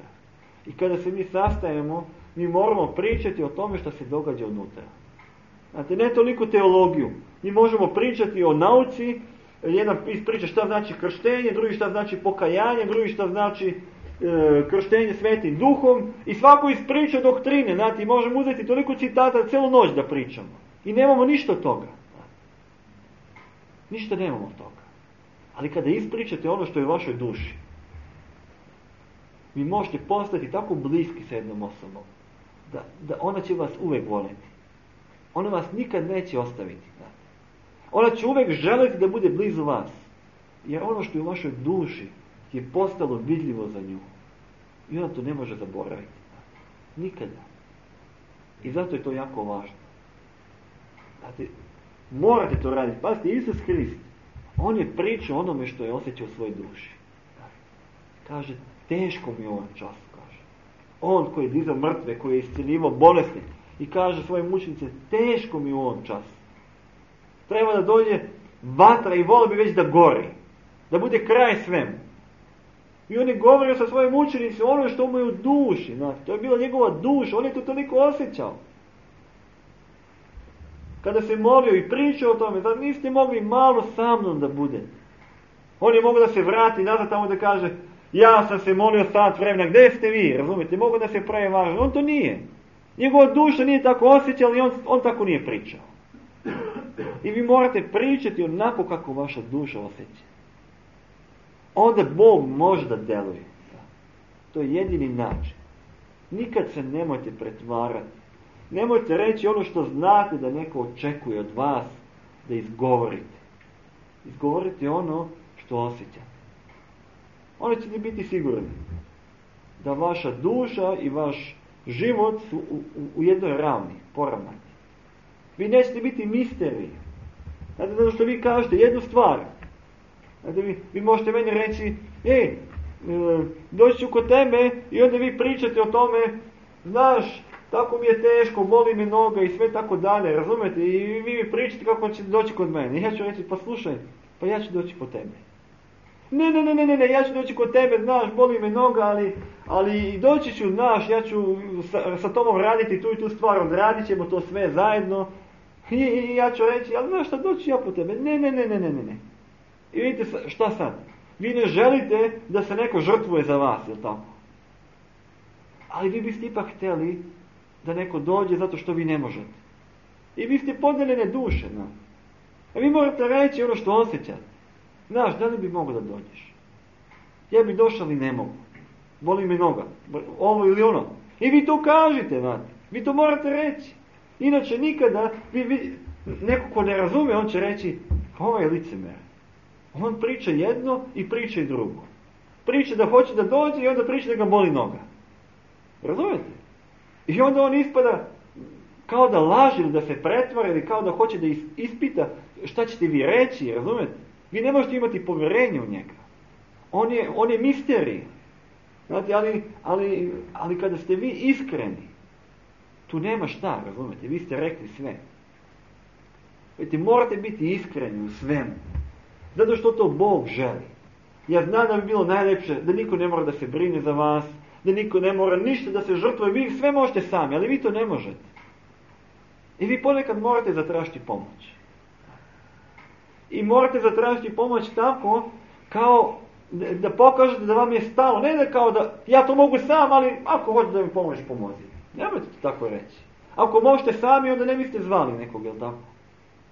I kada se mi sastajemo, mi moramo pričati o tome šta se događa unutra. Znate, ne toliko teologiju. Mi možemo pričati o nauci, jedan ispriča šta znači krštenje, drugi šta znači pokajanje, drugi šta znači krštenje svetim duhom i svako ispriča doktrine. Znate, možemo uzeti toliko citata celu noć da pričamo. I nemamo ništa od toga. Ništa nemamo od toga. Ali kada ispričate ono što je u vašoj duši, vi možete postati tako bliski sa jednom osobom, da ona će vas uvek voljeti. Ona vas nikad neće ostaviti. Znate. Ona će uvek želiti da bude blizu vas. Jer ono što je u vašoj duši je postalo vidljivo za nju. I ona to ne može zaboraviti. Nikada. I zato je to jako važno. Znate, morate to raditi. Pazite, Isus Hrist, on je pričao onome što je osjećao u svojoj duši. Kaže, teško mi je ovom času, kaže. On koji je dizao mrtve, koji je isciljivao bolesne i kaže svojim učenicima, teško mi je u ovom času. Treba da dođe vatra i volio bi već da gori. Da bude kraj svemu. I on je govorio sa svojim učenicima ono što mu je u duši. Znači, to je bila njegova duša. On je to toliko osjećao. Kada se molio i pričao o tome, da niste mogli malo sa mnom da budete. On je mogao da se vrati nazad tamo da kaže, ja sam se molio sat vremena, gdje ste vi? Razumijete, mogu da se pravi važno. On to nije. Njegova duša nije tako osjećala i on tako nije pričao. I vi morate pričati onako kako vaša duša osjeća. Onda Bog može da deluje. To je jedini način. Nikad se nemojte pretvarati. Nemojte reći ono što znate da neko očekuje od vas da izgovorite. Izgovorite ono što osjećate. Onda ćete biti sigurni da vaša duša i vaš život su u jednoj ravni, poravnati. Vi nećete biti misteriji. Znate, zato što vi kažete jednu stvar. Znate, vi možete meni reći, doći ću kod tebe i onda vi pričate o tome, znaš, tako mi je teško, boli me noga i sve tako dalje, razumete? I vi mi pričate kako ćete doći kod mene. I ja ću reći, pa slušaj, pa ja ću doći po tebe. Ne, ja ću doći kod tebe, znaš, boli me noga, ali doći ću, znaš, ja ću sa tobom raditi tu i tu stvar, odradit ćemo to sve zajedno. I ja ću reći, ali znaš šta, doći ja po tebe. Ne. I vidite šta sad? Vi ne želite da se neko žrtvuje za vas, jel tako? Ali vi biste ipak htjeli da neko dođe zato što vi ne možete. I vi ste podeljene duše, no. A vi morate reći ono što osjećate. Znaš, da li bi mogao da dođeš? Ja bi došao, ali ne mogu. Boli me noga. Ovo ili ono. I vi to kažete, znate. Vi to morate reći. Inače nikada, neko ko ne razume, on će reći, ovo je licemer. On priča jedno i priča i drugo. Priča da hoće da dođe i onda priča da ga boli noga. Razumete? I onda on ispada kao da laže ili da se pretvara ili kao da hoće da ispita šta ćete vi reći, razumete? Vi ne možete imati povjerenje u njega. On je misterij. Znate, ali kada ste vi iskreni, tu nema šta, razumete? Vi ste rekli sve. Vidite, morate biti iskreni u svemu. Zato što to Bog želi. Ja znam da bi bilo najljepše da niko ne mora da se brine za vas, da niko ne mora ništa da se žrtvuje, vi sve možete sami, ali vi to ne možete. I vi ponekad morate zatražiti pomoć. I morate zatražiti pomoć tako kao da pokažete da vam je stalo. Ne da kao da ja to mogu sam, ali ako hoćete da mi pomoći, pomozi. Nemojte to tako reći. Ako možete sami, onda ne biste zvali nekog, jel tako?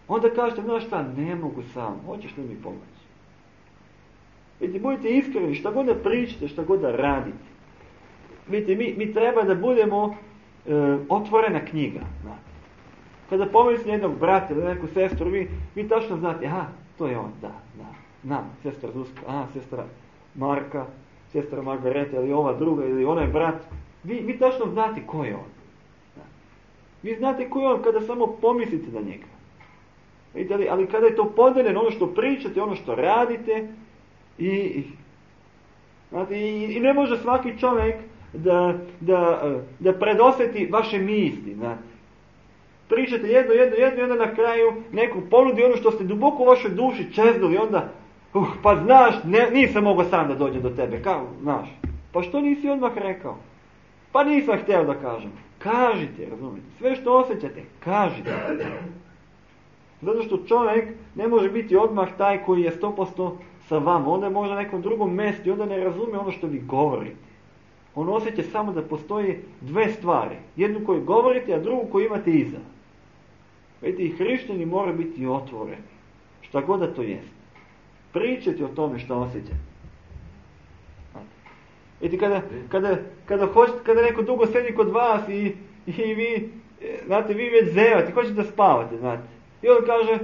Onda kažete, znaš šta, ne mogu sam, hoćeš li mi pomoći? Vidite, budite iskreni, šta god da pričate, šta god da radite. Vidite, mi treba da budemo otvorena knjiga. Znate. Kada pomislite jednog brata ili neku sestru, vi tačno znate, aha, to je on, da, sestra Zuzka, sestra Marka, sestra Margareta ili ova druga ili onaj brat. Vi tačno znate ko je on. Da. Vi znate ko je on kada samo pomislite na njega. Vidite, ali kada je to podeljeno, ono što pričate, ono što radite, i ne može svaki čovjek da predosjeti vaše misli, znate. Pričate jedno i onda na kraju neko ponudi ono što ste duboko u vašoj duši čeznuli, onda, pa znaš, nisam mogao sam da dođem do tebe, kao, znaš. Pa što nisi odmah rekao? Pa nisam htio da kažem. Kažite, razumijete, sve što osjećate, kažite. Zato što čovjek ne može biti odmah taj koji je 100% sa vama. Onda je možda na nekom drugom mjestu i onda ne razumije ono što vi govorite. On osjeća samo da postoji dve stvari. Jednu koju govorite, a drugu koju imate iza. Vidite, i hrišćani moraju biti otvoreni. Šta god da to jest. Pričati o tome što osjećate. Vidite, kada neko dugo sedi kod vas i vi, znate, vi već zevate, hoćete da spavate, znate. I on kaže,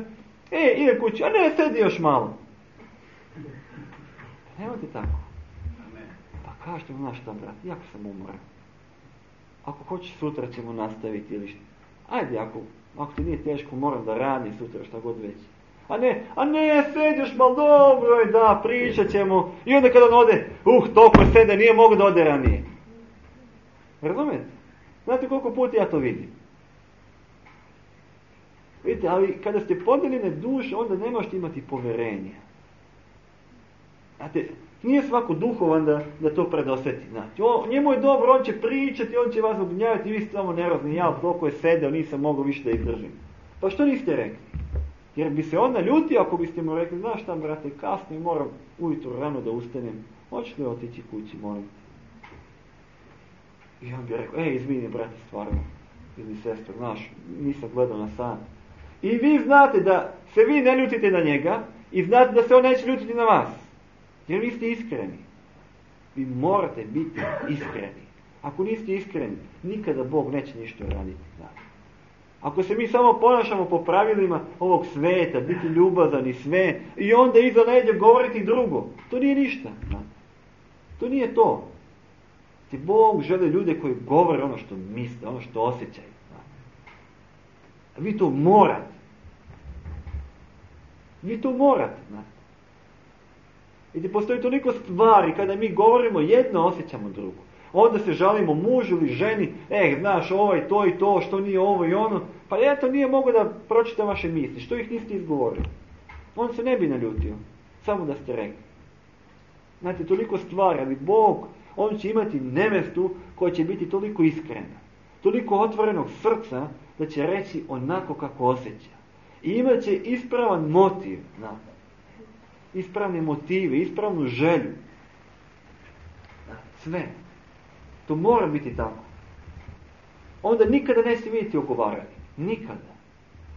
ide kući, a ne, sedi još malo. Nemojte tako. Pa kažete mu, znaš šta, brat, jako sam umoran. Ako hoćeš, sutra ćemo nastaviti ili što. Ajde, ako ti nije teško, moram da radim sutra, šta god već. A ne, sediš malo, dobro je, da, pričat ćemo. I onda kada on ode, toliko sede, nije mogu da ode ranije. Razumijete? Znate koliko puta ja to vidim? Vidite, ali kada ste podeljene duše, onda ne možete imati poverenja. Znate, nije svako duhovan da to predosjeti. Znate, njemu je dobro, on će pričati, on će vas obnjavati, vi ste samo nervozni, ja toliko je sedeo, nisam mogao više da izdržim. Pa što niste rekli? Jer bi se on naljutio ako biste mu rekli, znaš šta, brate, kasno i moram ujutro rano da ustanem, hoćeš li otići kući, molim te? I on bi rekao, izvini, brate, stvarno, ili sestro, znaš, nisam gledao na sat. I vi znate da se vi ne ljutite na njega i znate da se on neće ljutiti na vas. Jer vi ste iskreni. Vi morate biti iskreni. Ako niste iskreni, nikada Bog neće ništa raditi. Znate. Ako se mi samo ponašamo po pravilima ovog sveta, biti ljubazan i sve, i onda iza leđa govoriti drugo, to nije ništa. Znate. To nije to. Bog želi ljude koji govore ono što misle, ono što osjećaju. Vi to morate. Vi to morate. Vidite, postoji toliko stvari kada mi govorimo jedno, osjećamo drugo. Onda se žalimo mužu ili ženi, znaš, ovaj, to i to, što nije ovo i ono. Pa ja to nije mogu da pročitam vaše misli, što ih niste izgovorili. On se ne bi naljutio, samo da ste rekli. Znate, toliko stvari, ali Bog, on će imati nevestu koja će biti toliko iskrena, toliko otvorenog srca, da će reći onako kako osjeća. I imat će ispravan motiv, znate. Ispravne motive, ispravnu želju. Sve. To mora biti tako. Onda nikada neće vidjeti ogovaranje. Nikada.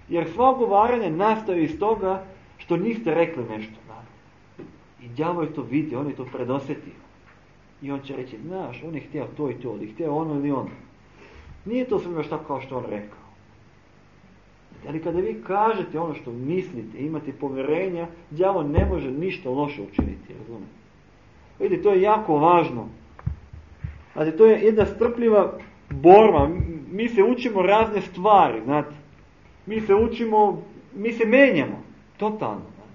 Jer sva ogovaranje nastaju iz toga što niste rekli nešto. Znate. I đavo je to vidio, on je to predosjetio. I on će reći, znaš, on je htio to i to, ili htio ono ili ono. Nije to sve što kao što on rekao. Ali kada vi kažete ono što mislite, imate povjerenja, đavo ne može ništa loše učiniti, razumijete? Vidite, to je jako važno. Znate, to je jedna strpljiva borba. Mi se učimo razne stvari, znate. Mi se menjamo, totalno. Znate.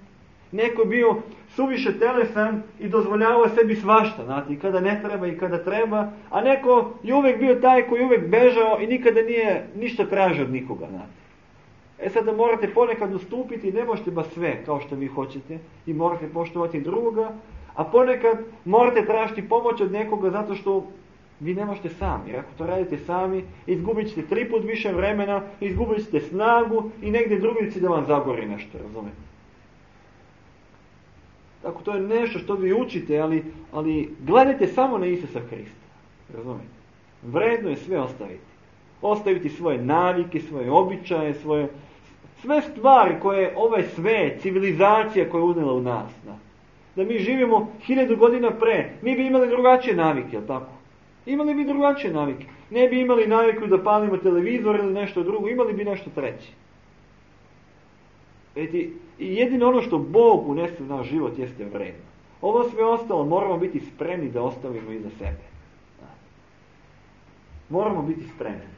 Neko je bio suviše telesan i dozvoljavao sebi svašta, znate, i kada ne treba i kada treba, a neko je uvijek bio taj koji je uvijek bežao i nikada nije ništa tražio od nikoga, znate. Sada morate ponekad ustupiti, ne možete baš sve kao što vi hoćete i morate poštovati drugoga, a ponekad morate tražiti pomoć od nekoga zato što Vi ne možete sami, jer ako to radite sami, izgubit ćete 3 puta više vremena, izgubit ćete snagu i negdje drugdje će da vam zagori nešto, razumijete? Tako to je nešto što vi učite, ali gledajte samo na Isusa Hrista, razumijete? Vredno je sve ostaviti. Ostaviti svoje navike, svoje običaje, sve stvari koje ovaj sve, civilizacija koja je unijela u nas. Da mi živimo 1000 godina pre, mi bi imali drugačije navike, jel tako? Imali bi drugačije navike. Ne bi imali naviku da palimo televizor ili nešto drugo, imali bi nešto treće. I jedino ono što Bog unese u naš život jeste vredno. Ovo sve ostalo moramo biti spremni da ostavimo iza sebe. Moramo biti spremni.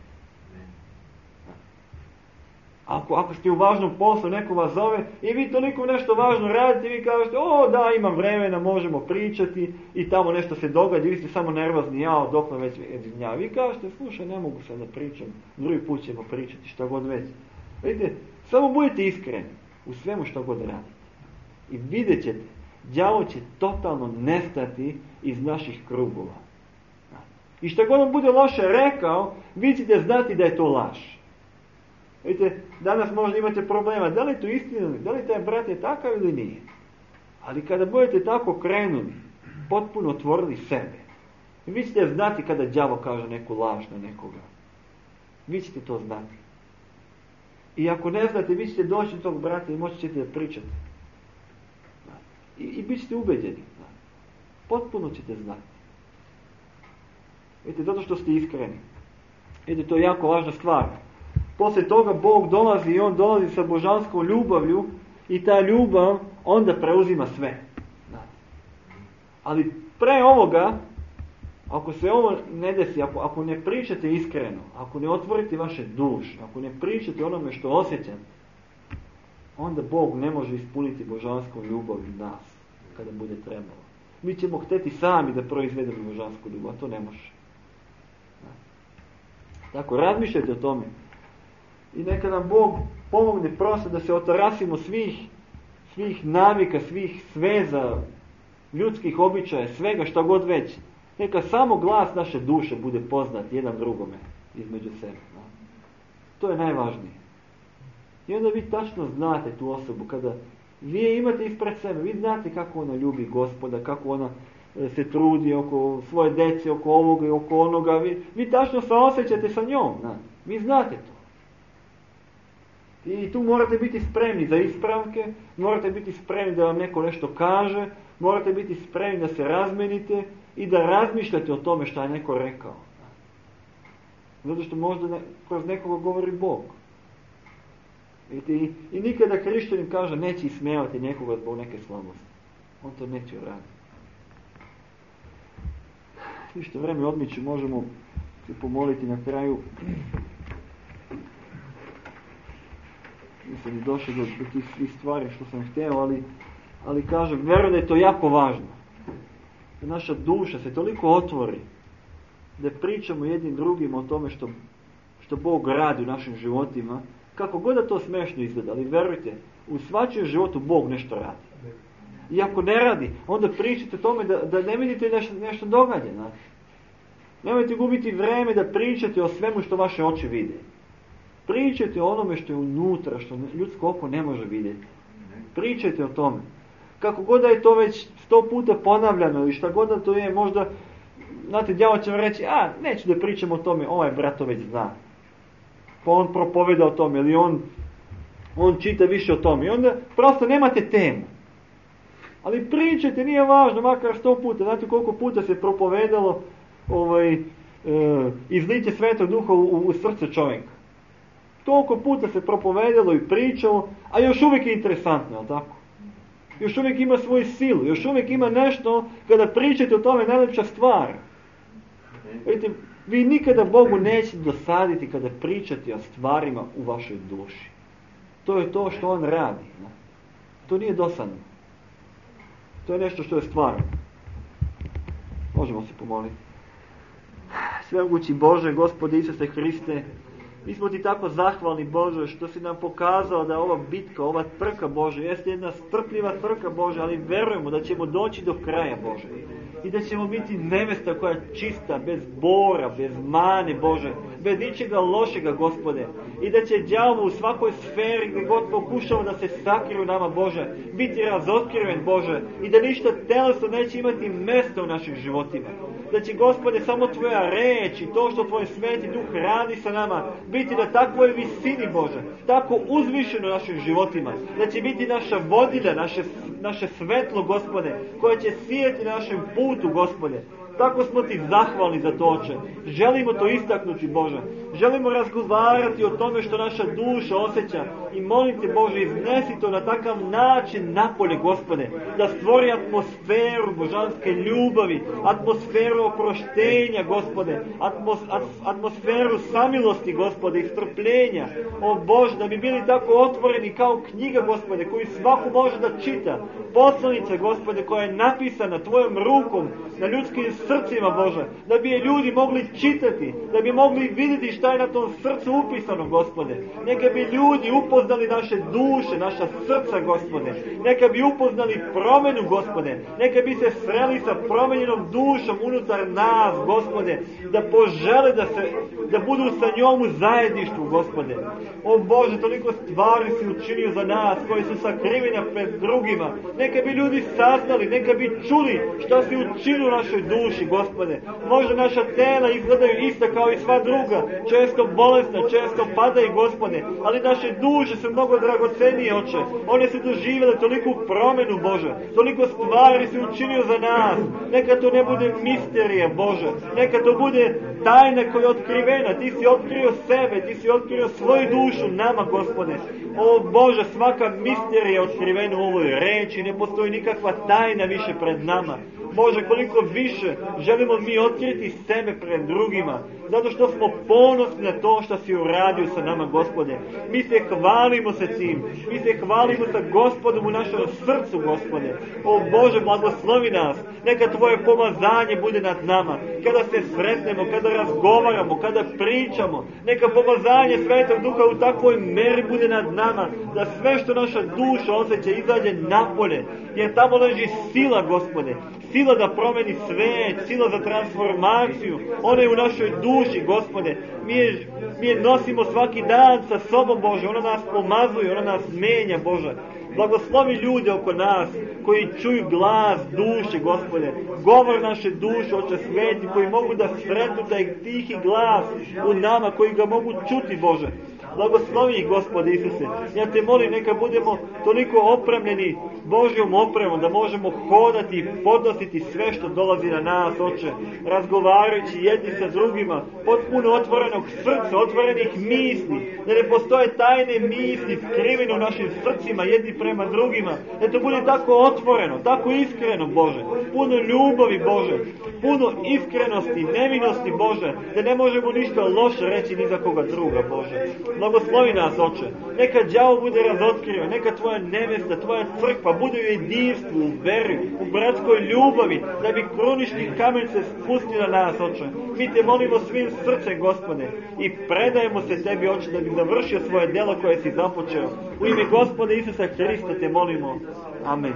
Ako ste u važnom poslu, neko vas zove i vi toliko nešto važno radite i vi kažete, da, imam vremena, možemo pričati i tamo nešto se događa i vi ste samo nervozni, dok me već gnjavi. Vi kažete, slušaj, ne mogu sad da pričam, drugi put ćemo pričati, šta god već. Vidite, samo budite iskreni u svemu što god radite. I vidjet ćete, đavo će totalno nestati iz naših krugova. I što god on bude loše rekao, vi ćete znati da je to laž. Vidite, danas možda imate problema, da li je to istina, da li taj brat je takav ili nije. Ali kada budete tako krenuli, potpuno otvorili sebe, vi ćete znati kada đavo kaže neku laž na nekoga. Vi ćete to znati. I ako ne znate, vi ćete doći do tog brata i moći ćete da pričate. I bit ćete ubeđeni. Potpuno ćete znati. Vidite, zato što ste iskreni. Vidite, to je jako važna stvar. Poslije toga Bog dolazi i on dolazi sa božanskom ljubavlju i ta ljubav onda preuzima sve. Ali pre ovoga, ako se ovo ne desi, ako ne pričate iskreno, ako ne otvorite vaše duše, ako ne pričate onome što osjećate, onda Bog ne može ispuniti božansku ljubav u nas kada bude trebalo. Mi ćemo hteti sami da proizvedemo božansku ljubav, a to ne može. Tako, razmišljajte o tome. I neka nam Bog pomogne prosto da se otarasimo svih navika, svih sveza, ljudskih običaja, svega što god već. Neka samo glas naše duše bude poznat jedan drugome između sebe. To je najvažnije. I onda vi tačno znate tu osobu, kada vi je imate ispred sebe, vi znate kako ona ljubi Gospoda, kako ona se trudi oko svoje dece, oko ovoga i oko onoga. Vi tačno se osjećate sa njom. Vi znate to. I tu morate biti spremni za ispravke, morate biti spremni da vam neko nešto kaže, morate biti spremni da se razmenite i da razmišljate o tome što je neko rekao. Zato što možda kroz nekoga govori Bog. I nikada hrišćanin kaže neće ismijavati nekoga zbog neke slabosti. On to neće uraditi. Ništa, vreme odmiče, možemo se pomoliti na kraju. Nisam i došao do tih svih stvari što sam htio, ali kažem, vjerujem da je to jako važno. Da naša duša se toliko otvori, da pričamo jednim drugim o tome što Bog radi u našim životima, kako god da to smešno izgleda, ali vjerujte, u svačijem životu Bog nešto radi. I ako ne radi, onda pričajte o tome da ne vidite nešto događa. Nemojte gubiti vreme da pričate o svemu što vaše oči vide. Pričajte o onome što je unutra, što ljudsko oko ne može vidjeti. Pričajte o tome. Kako god da je to već 100 puta ponavljano ili šta god da to je, možda, znate, đavo će vam reći, neću da pričam o tome, ovaj brat to već zna. Pa on propoveda o tome, ili on čita više o tome. I onda prosto nemate temu. Ali pričajte, nije važno, makar 100 puta. Znate koliko puta se propovedalo izliće Svetog Duha u srce čovjeka. Toliko puta se propovedalo i pričalo, a još uvijek je interesantno, jel tako? Još uvijek ima svoju silu, još uvijek ima nešto, kada pričate o tome, najlepša stvar. Vidite, vi nikada Bogu nećete dosaditi kada pričate o stvarima u vašoj duši. To je to što On radi. Ne? To nije dosadno. To je nešto što je stvarno. Možemo se pomoliti. Svemogući Bože, Gospode Isuse Hriste, mi smo Ti tako zahvalni, Bože, što si nam pokazao da ova bitka, ova trka, Bože, jeste jedna strpljiva trka, Bože, ali verujemo da ćemo doći do kraja, Bože. i da ćemo biti nevesta koja je čista, bez bora, bez mane, Bože, bez ničega lošega, Gospode, i da će đavo u svakoj sferi gdje god pokušao da se sakrije u nama, Bože, biti razotkriven, Bože, i da ništa telesno neće imati mjesta u našim životima. Da će, Gospode, samo Tvoja reč i to što Tvoj Sveti Duh radi sa nama biti na takvoj visini, Bože, tako uzvišeno u našim životima, da će biti naša vodilja, naše svetlo, Gospode, koje će sijeti na našem putu, Gospode. Tako smo Ti zahvalni za to, Oče. Želimo to istaknuti, Bože. Želimo razgovarati o tome što naša duša osjeća i molim Te, Bože, iznesi to na takav način napolje, Gospode, da stvori atmosferu božanske ljubavi, atmosferu oproštenja, Gospode, atmosferu samilosti, Gospode, i strpljenja. O Bože, da bi bili tako otvoreni kao knjiga, Gospode, koju svako može da čita. Poslanica, Gospode, koja je napisana Tvojom rukom na ljudskim srcima, Bože, da bi je ljudi mogli čitati, da bi mogli vidjeti šta je na tom srcu upisano, Gospode. Neka bi ljudi upoznali naše duše, naša srca, Gospode. Neka bi upoznali promjenu, Gospode. Neka bi se sreli sa promenjenom dušom unutar nas, Gospode, da požele da budu sa njom u zajedništvu, Gospode. O Bože, toliko stvari si učinio za nas, koji su sakrivene pred drugima. Neka bi ljudi saznali, neka bi čuli šta si učinio u našoj duši, Gospode. Možda naša tela izgledaju ista kao i sva druga, često bolesna, često padaju, Gospode, ali naše duše su mnogo dragocenije, Oče. One su doživjele toliku promjenu, Bože. Toliko stvari si učinio za nas. Neka to ne bude misterija, Bože. Neka to bude tajna koja je otkrivena. Ti si otkrio sebe, Ti si otkrio svoju dušu nama, Gospode. O Bože, svaka misterija je otkrivena u ovoj reči. Ne postoji nikakva tajna više pred nama. Bože, koliko više želimo mi otkriti sebe pred drugima, zato što smo ponosni na to što si uradio sa nama, Gospode. Mi se hvalimo sa tim, mi se hvalimo sa Gospodom u našem srcu, Gospode. O Bože, blagoslovi nas, neka Tvoje pomazanje bude nad nama, kada se sretnemo, kada razgovaramo, kada pričamo, neka pomazanje Svetog Duha u takvoj meri bude nad nama, da sve što naša duša osjeća izađe napolje, jer tamo leži sila, Gospode. Sila da promeni svet, sila za transformaciju, ona je u našoj duši, Gospode. Mi je nosimo svaki dan sa sobom, Bože, ona nas pomazuje, ona nas menja, Bože. Blagoslovi ljude oko nas koji čuju glas duše, Gospode. Govor naše duše, Oče Sveti, koji mogu da sretnu taj tihi glas u nama, koji ga mogu čuti, Bože. Blagoslovi ih, Gospode Isuse. Ja Te molim, neka budemo toliko opremljeni Božjom opremom, da možemo hodati i podnositi sve što dolazi na nas, Oče, razgovarajući jedni sa drugima, potpuno otvorenog srca, otvorenih misli, da ne postoje tajne misli skrivene u našim srcima jedni prema drugima, da to bude tako otvoreno, tako iskreno, Bože, puno ljubavi, Bože, puno iskrenosti, nevinosti, Bože, da ne možemo ništa loše reći ni za koga druga, Bože. Blagoslovi nas, Oče. Neka đavo bude razotkriven, neka Tvoja nevesta, Tvoja crkva bude u jedinstvu, u veri, u bratskoj ljubavi, da bi krunični kamen se spustio na nas, Oče. Mi Te molimo svim srcem, Gospode, i predajemo se Tebi, Oče, da bi završio svoje djelo koje si započeo. U ime Gospoda Isusa Hrista Te molimo. Amen.